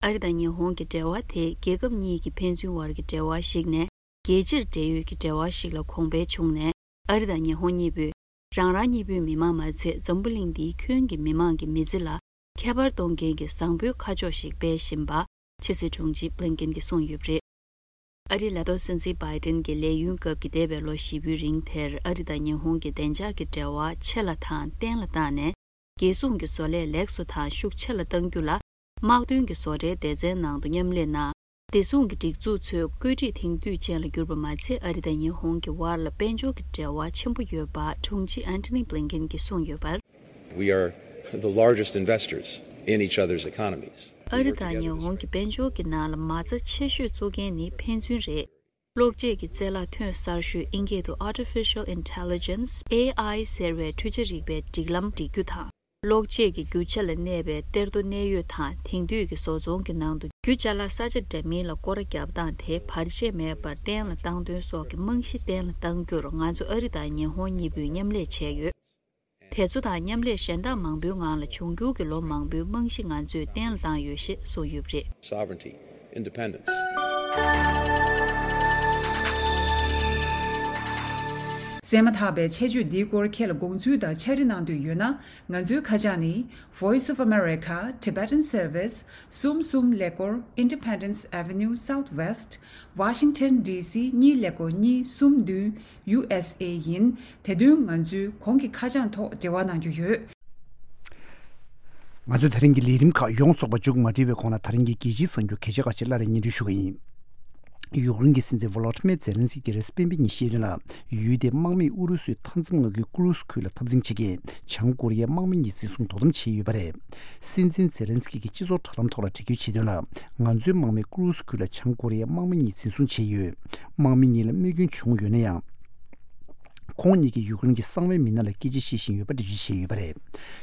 ཨ་རི་དང་ཉི་ཧོང་གི་འབྲེལ་བ་དེ་རྒྱལ་ཁབ་གཉིས་ཀྱི་ཕན་ཚུན་བར་གྱི་འབྲེལ་བ་ཞིག་ནས་རྒྱལ་སྤྱིར་འབྲེལ་ཡོད་ཀྱི་འབྲེལ་བ་ཞིག་ལ་གོང་འཕེལ་བྱུང་ནས། ཨ་རི་དང་ཉི་ཧོང་གཉིས་པོས་རང་རང་གཉིས་པོའི་མི་དམངས་མ་ཚད་འཛམ་བུ་གླིང་འདིའི་ཁྱོན་གྱི་མི་དམངས་ཀྱི་མི་ཚེ་ལ་ཁྱད་པར་གཏོང་མཁན་གྱི་བཟང་པོའི་ཁ་ཕྱོགས་ཤིག་སྤེལ་བཞིན་པ་ཕྱི་སྲིད་དྲུང་ཆེ་བྷི་ལིན་ཀེན་གྱིས་གསུངས་ཡོད་པ་རེད། ཨ་རིའི་ལས་ཐོག་སྲིད་འཛིན་བྷའི་ཏིན་གྱི་ལས་ཡུན་སྐབས་ཀྱི་འདས་པའི་ལོ་བཞི་པོའི་རིང་དེར་ཨ་རི་དང་ཉི་ཧོང་གི་བདེ་འཇགས་ཀྱི་འབྲེལ་བ་ཆེ་ལ་དང་བརྟན་ལ་བཏང་ནས། རྒྱལ་སྲུང་གི་བཟོ་ལས་ལེགས་སུ་དང་ཤུགས་ཆེ་ལ་གཏང་རྒྱུ་ལ། དམག་དོན་གྱི་བཟོ་གྲྭའི་སྡེ་ཚན་ནང་དུ་མཉམ་ལས་གནང་། བདེ་སྲུང་གི་སྒྲིག་འཛུགས་ཚོས་བཀོད་སྒྲིག་དེང་དུས་ཅན་ལ་གྱུར་པ་མ་ཚད། ཨ་རི་དང་ཉི་ཧོང་གི་དབར་ལ་དཔལ་འབྱོར་གྱི་འབྲེལ་བ་ཆེན་པོ་ཡོད་པ་དྲུང་ཆེ་ཨན་ཐོ་ནི་བྷི་ལིན་ཀེན་གྱིས་གསུངས་ཡོད་པར། We are the largest investors in each other's economies. ཨ་རི་དང་ཉི་ཧོང་གི་དཔལ་འབྱོར་གྱི་ནང་ལ་མ་རྩ་ཆེ་ཤོས་བཙུགས་མཁན་ནི་ཕན་ཚུན་རེད། གློག་ཆས་ཀྱི་རྩལ་ལ་ཐོན་གསར་ཤོས་ཨིན་སྐད་དུ་Artificial Intelligence, A I ཟེར་བའི་འཕྲུལ་ཆ་རིག་པའི་སྒྲིག་ལམ་སྒྲིག་རྒྱུ་དང་། གློག་ཆས་ཀྱི་རྒྱུ་ཆ་ལ་གནས་པའི་གཏེར་རྡོ་གནས་ཡུལ་དང་། དེང་དུས་ཀྱི་བཟོ་ཚོང་གི་ནང་དུ་རྒྱུ་ཅ་ལག་ས་ཆ་འདྲ་མིན་ལ་སྐོར་ར་བརྒྱབ་སྟངས་དེ་བར་ཆད་མེད་པར་བརྟན་ལ་བཏང་དོན་སོགས་ཀྱི་རྨང་གཞི་བརྟན་ལ་གཏང་རྒྱུར་ང་ཚོ་ཨ་རི་དང་ཉི་ཧོང་གཉིས་པོས་མཉམ་ལས་བྱས་ཡོད། དེ་ཚོ་དང་མཉམ་ལས་གཞན་དག་མང་པོའི་ངང་ལ་འབྱུང་འགྱུར་གྱི་ལོ་མང་པོའི་རྨང་གཞི་ང་ཚོས་བརྟན་ལ་བཏང་ཡོད་ཞེས་གསུངས་ཡོད་པ་རེད། Sovereignty, independence. གསན་མ་ཐག་པའི་ཆེད་བརྗོད་འདིའི་སྐོར་ཁྱེད་ལ་དགོངས་ཚུལ་དང་ཕྱག་བྲིས་གནང་འདོད་ཡོད་ན། ང་ཚོའི་ཁ་བྱང་ནི། Voice of America, Tibetan Service, གསུམ་གསུམ་ཀླད་ཀོར་Independence Avenue Southwest, Washington D C གཉིས་ཀླད་ཀོར་གཉིས་གསུམ་བདུན། U S A ཡིན། དེ་དོན་ང་ཚོའི་གོང་གི་ཁ་བྱང་ཐོག་འབྲེལ་བ་གནང་རྒྱུ་ཡོད། ང་ཚོས་ད་རིང་གི་ལས་རིམ་ཁག་ཡོངས་རྫོགས་པ་མཇུག་མ་སྒྲིལ་བའི་གོང་ལ། ད་རིང་གི་རྒྱལ་སྤྱིའི་གསར་འགྱུར་གལ་ཆེ་ཁག་ཅིག་སླར་ཡང་སྙན་སྒྲོན་ཞུ་གི་ཡིན། ཡུཀ་རེན་གྱི་སྲིད་འཛིན་ཝོ་ལོ་ཏི་མེ་ཛེ་ལན་སི་ཀི་རེས་སྤེན་པའི་ཉིན་བཤད་དོན་ལ། ཡུལ་དེའི་དམག་མིས་ཨུ་རུ་སུའི་མཐའ་མཚམས་མངའ་ཁུལ་ཀུ་རུ་སི་ཁུལ་ལ་འཐབ་འཛིང་བྱེད་མཁན་བྱང་ཀོ་རི་ཡའི་དམག་མི་གཉིས་འཛིན་བཟུང་དོ་དམ་བྱས་ཡོད་པ་རེད། སྲིད་འཛིན་ཛེ་ལན་སི་ཀི་གིས་སྤྱི་ཚོགས་དྲ་ལམ་ཐོག་ལ་འབྲི་འགོད་བྱས་དོན་ལ། ང་ཚོའི་དམག་མིས་ཀུ་རུ་སི་ཁུལ་ལ་བྱང་ཀོ་རི་ཡའི་དམག་མི་གཉིས་འཛིན་བཟུང་བྱས་ཡོད། དམག་མི་གཉིས་ལ་རྨས་སྐྱོན་བྱུང་ཡོད་ན་ཡང་། ཁོང་གཉིས་ཀྱིས་ཡུཀ་རེན་གྱི་གསང་བའི་མི་སྣ་ལ་སྐད་ཆ་བཤད་བཞིན་ཡོད་པ་འགྲེལ་བརྗོད་བྱས་ཡོད་པ་རེད།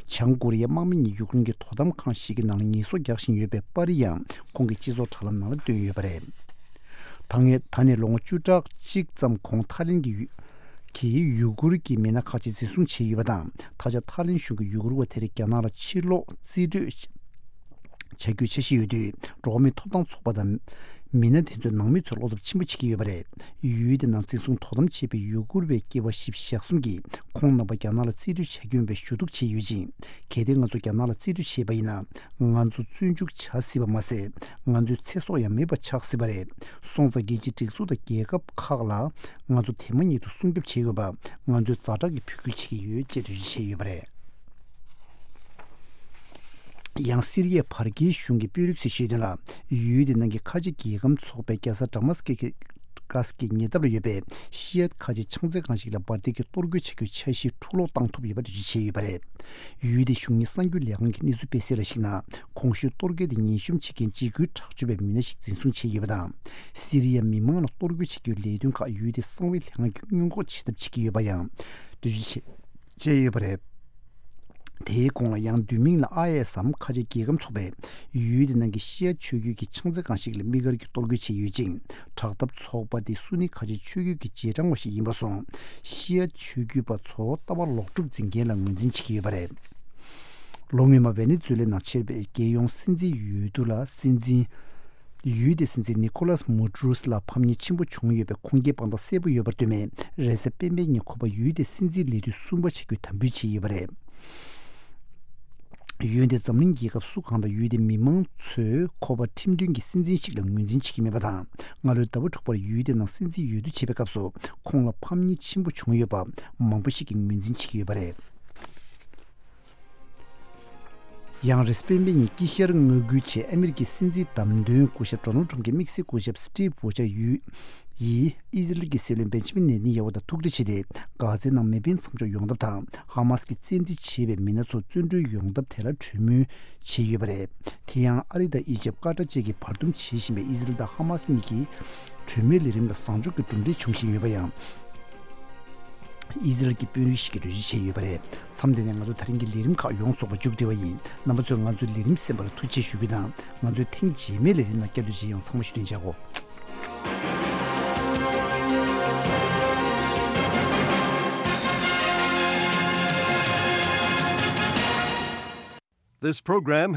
བྱང་ཀོ་རི་ཡའི་དམག་མི་གཉིས་ཡུཀ་རེན་གྱི་དོ་དམ་ཁང་ཞིག་གི་ནང་ལ་ངལ་གསོ་རྒྱག་བཞིན་ཡོད་པའི་པར་རིས་ཡང་ཁོང་གིས་སྤྱི་ཚོགས་དྲ་ལམ་ནང་ལ་བཏོན་ཡོད་པ་རེད། ད་སྔོན། ད་ནས་ལོ་ངོ་བཅུ་ཕྲག་གཅིག་ཙམ་གོང་ཐའི་ལེན་གྱི་ཡུ། གྱིས་ཡུ་གུར་གྱི་མི་སྣ་ཁག་ཅིག་འཛིན་བཟུང་བྱས་ཡོད་པ་དང་། ད་ཆ་ཐའི་ལེན་གཞུང་གིས་ཡུ་གུར་བ་དེར་རྒྱ་ནག་ལ་ཕྱིར་ལོག་རྩིས་སྤྲོད་བྱ་རྒྱུའི་འཆར་གཞི་ཡོད་དུས། འགྲོ་བ་མིའི་ཐོབ་ཐང་ཚོགས་པ་དང་མི་སྣ་དེ་ཚོས་ནང་མི་ཚོར་བློ་འཚབ་ཆེན་པོ་བྱེད་ཀྱི་ཡོད་པ་རེད། ཡུལ་དེ་ནང་འཛིན་བཟུང་དོ་དམ་བྱས་པའི་ཡུ་གུར་བའི་སྐྱེས་པ་བཞི་བཅུ་ཞེ་གསུམ་གྱིས་ཁོང་རྣམ་པ་རྒྱ་ནག་ལ་རྩིས་སྤྲོད་བྱ་རྒྱུ་ཡིན་པའི་ཞུ་གཏུག་བྱས་ཡོད་ཅིང་། གལ་ཏེ་ང་ཚོ་རྒྱ་ནག་ལ་རྩིས་སྤྲོད་བྱས་པ་ཡིན་ན། ང་ཚོ་བཙོན་འཇུག་བྱ་སྲིད་པ་མ་ཟད། ང་ཚོའི་ཚེ་སྲོག་ཡང་མེད་པ་ཆགས་སྲིད་པ་རེད། སོང་ཙང་རྒྱལ་སྤྱིའི་སྒྲིག་འཛུགས་དང་རྒྱལ་ཁབ་ཁག་ལ་ང་ཚོ་དེ་མ་ཉིད་དུ་སྲུང་སྐྱོབ་བྱེད་དགོས་པ་ང་ཚོས་ཛ་དྲག་གི་འབོད་སྐུལ་བྱེད་ཀྱི་ཡོད་ཅེས་འགྲེལ་བརྗོད་བྱས་ཡོད་པ་རེད། ཡང་སི་རི་ཡའི་བར་བརྒལ་གཞུང་གི་དཔོན་རིགས་ཚོས་བཤད་དོན་ལ། ཡུལ་དེ་ནང་གི་ཁ་ཆེ་རྒྱལ་ཁམས་ཚོགས་པས་རྒྱལ་ས་ཌ་མ་སི་ཀི་ཀ་སི་ཀི་ཉེ་འདབས་ལ་ཡོད་པའི་ཤི་ཡ་ཁ་ཆེ་ཕྱག་འཚལ་ཁང་ཞིག་ལ་འབར་མདེལ་གྱི་གཏོར་རྒོལ་བྱ་རྒྱུའི་འཆར་གཞི་འཁྲུག་སློང་བཏང་ཐུབ་ཡོད་པ་འགྲེལ་བརྗོད་བྱས་ཡོད་པ་རེད། ཡུལ་དེའི་གཞུང་གཉེར་གསར་འགྱུར་ལས་ཁང་གི་གནས་ཚུལ་སྤེལ་གསལ་ལ་གཞིགས་ན། གོང་ཞུས་གཏོར་རྒོལ་དེ་ཉེན་གཤོམ་བྱེད་མཁན་འཇིགས་སྐུལ་དྲག་སྤྱོད་པའི་མི་སྣ་ཞིག་འཛིན་བཟུང་བྱས་ཡོད་པ་དང་། སི་རི་ཡ་མི་མང་ལ་གཏོར་རྒོལ་བྱེད་རྒྱུའི་ལས་དོན་ཁག་ཡུལ་དེའི་གསང་བའི་ལས་ཁང་གིས་སྔོན་འགོག་བྱེད་ཐབས་བྱེད་ཀྱི་ཡོད་པ་ཡང་འགྲེལ་བརྗོད་བྱས་བྱས་ཡོད་པ་རེད། དེའི་གོང་ལ་ཡང་བསྡུས་མིང་ལ་ཨའི་ཨེས་སམ་ཁ་ཆེ་རྒྱལ་ཁམས་ཚོགས་པས་ཡུལ་དེ་ནང་གི་ཤི་ཡ་ཆོས་བརྒྱུད་ཀྱི་ཕྱག་འཚལ་ཁང་ཞིག་ལ་དམིགས་བཀར་གྱི་གཏོར་རྒོལ་བྱས་ཡོད་ཅིང་། དྲག་འཐབ་ཚོགས་པ་དེ་སུ་ནི་ཁ་ཆེ་ཆོས་བརྒྱུད་ཀྱི་རྗེས་འབྲང་བ་ཞིག་ཡིན་པ་སོང་། ཤི་ཡ་ཆོས་བརྒྱུད་པ་ཚོ་ལྟ་བ་ལོག་སྒྲུབ་འཛིན་མཁན་ལ་ངོས་འཛིན་བྱེད་ཀྱི་ཡོད་པ་རེད། ལོ་སྔོན་མ་ཝེ་ནེ་ཛུ་ལའི་ནང་ཆེས་པའི་རྒྱལ་ཡོངས་སྲིད་འཛིན་འོས་བསྡུ་ལ་སྲིད་འཛིན། ཡུལ་དེའི་སྲིད་འཛིན་ནི་ཁོ་ལཱས་མུ་ཌུ་རུས་ལ་ཕམ་ཉེས་ཆེན་པོ་བྱུང་ཡོད་པའི་ཁུངས་སྐྱེལ་དཔང་རྟགས་གསལ་པོ་ཡོད་པར་ལྟོས་ནས། རེས་གཟའ་སྤེན་པའི་ཉིན་ཁོ་པ་ཡུལ་དེའི་སྲིད་འཛིན་ལས་དུས་གསུམ་པ་བྱ་རྒྱུའི་དམ་འབུལ་བྱས་ཡོད་པ་རེད། ཡུལ་དེའི་འཛམ་གླིང་རྒྱལ་ཁབ་སུ་གང་དང་ཡུལ་དེའི་མི་མང་ཚོས་ཁོ་པ་ཁྲིམས་མཐུན་གྱི་སྲིད་འཛིན་ཞིག་ལ་ངོས་འཛིན་བྱེད་ཀྱི་མེད་པ་དང་། སྔ་ལོའི་ཟླ་བ་དྲུག་པར་ཡུལ་དེའི་ནང་སྲིད་འཛིན་འོས་བསྡུ་བྱེད་པའི་སྐབས་སུ་ཁོང་ལ་ཕམ་ཉེས་ཆེན་པོ་བྱུང་ཡོད་པ་མང་པོ་ཞིག་གིས་ངོས་འཛིན་བྱེད་ཀྱི་ཡོད་པ་རེད། ཡང་རེས་གཟའ་སྤེན་པའི་ཉིན་དཀྱིལ་ཤར་མངའ་ཁུལ་ཆེད་ཨ་མི་རི་ཀའི་སྲིད་འཛིན་བདམས་ཐོན་སྐུ་ཞབས་ཌོ་ནལ་ཊམ་གྱིས་དམིགས་བསལ་སྐུ་ཞབས་སི་ཊིབ་ཝོ་ཆ་ཡུ་ཡིས་ཨི་ཟི་རལ་གྱི་སྲིད་བློན་བེན་ཇ་མིན་ནེ་ཐན་ཡ་ཧུ་དང་ཐུག་འཕྲད་བྱས་ཏེ། གྷ་ཛའི་ནང་མེ་འཕེན་མཚམས་འཇོག་ཡོང་ཐབས་དང་། ཧ་མ་སི་ཀྱིས་བཙན་ཁྲིད་བྱས་པའི་མི་སྣ་ཚོ་བཙོན་གྲོལ་ཡོང་ཐབས་ཐད་ལ་གྲོས་མོལ་བྱས་ཡོད་པ་རེད། དེ་ཡང་ཨ་རི་དང་ཨི་ཇེབ་ཀ་ཏར་བཅས་ཀྱིས་བར་འདུམ་བྱེད་བཞིན་པའི་ཨི་ཟི་རལ་དང་ཧ་མ་སི་གཉིས་ཀྱི་གྲོས་མོལ་ལས་རིམ་ལ་བཟང་ཕྱོགས་ཀྱི་གྲུབ་འབྲས་འབྱུང་བཞིན་ཡོད་པ་ཡང་། ཨི་ཟི་རལ་གྱི་དཔོན་རིགས་ཤིག་གིས་གྲོས་གཞི་བྱས་ཡོད་པ་རེད། མཚམས་འདི་ནས་ང་ཚོ་ད་རིང་གི་ལས་རིམ་ཁག་ཡོངས་རྫོགས་པ་མཇུག་སྒྲིལ་བ་ཡིན། རྣམ་པ་ཚོས་ང་ཚོའི་ལས་རིམ་གསན་པར་ཐུགས་རྗེ་ཆེ་ཞུ་རྒྱུ་དང་། ང་ཚོའི་ཐེངས་རྗེས་མའི་ལས་རིམ་ནང་བསྐྱར་དུ་མཇལ་ཡོང་། ཚང་མ་བཞུགས་གདན་འཇགས་གོ། This program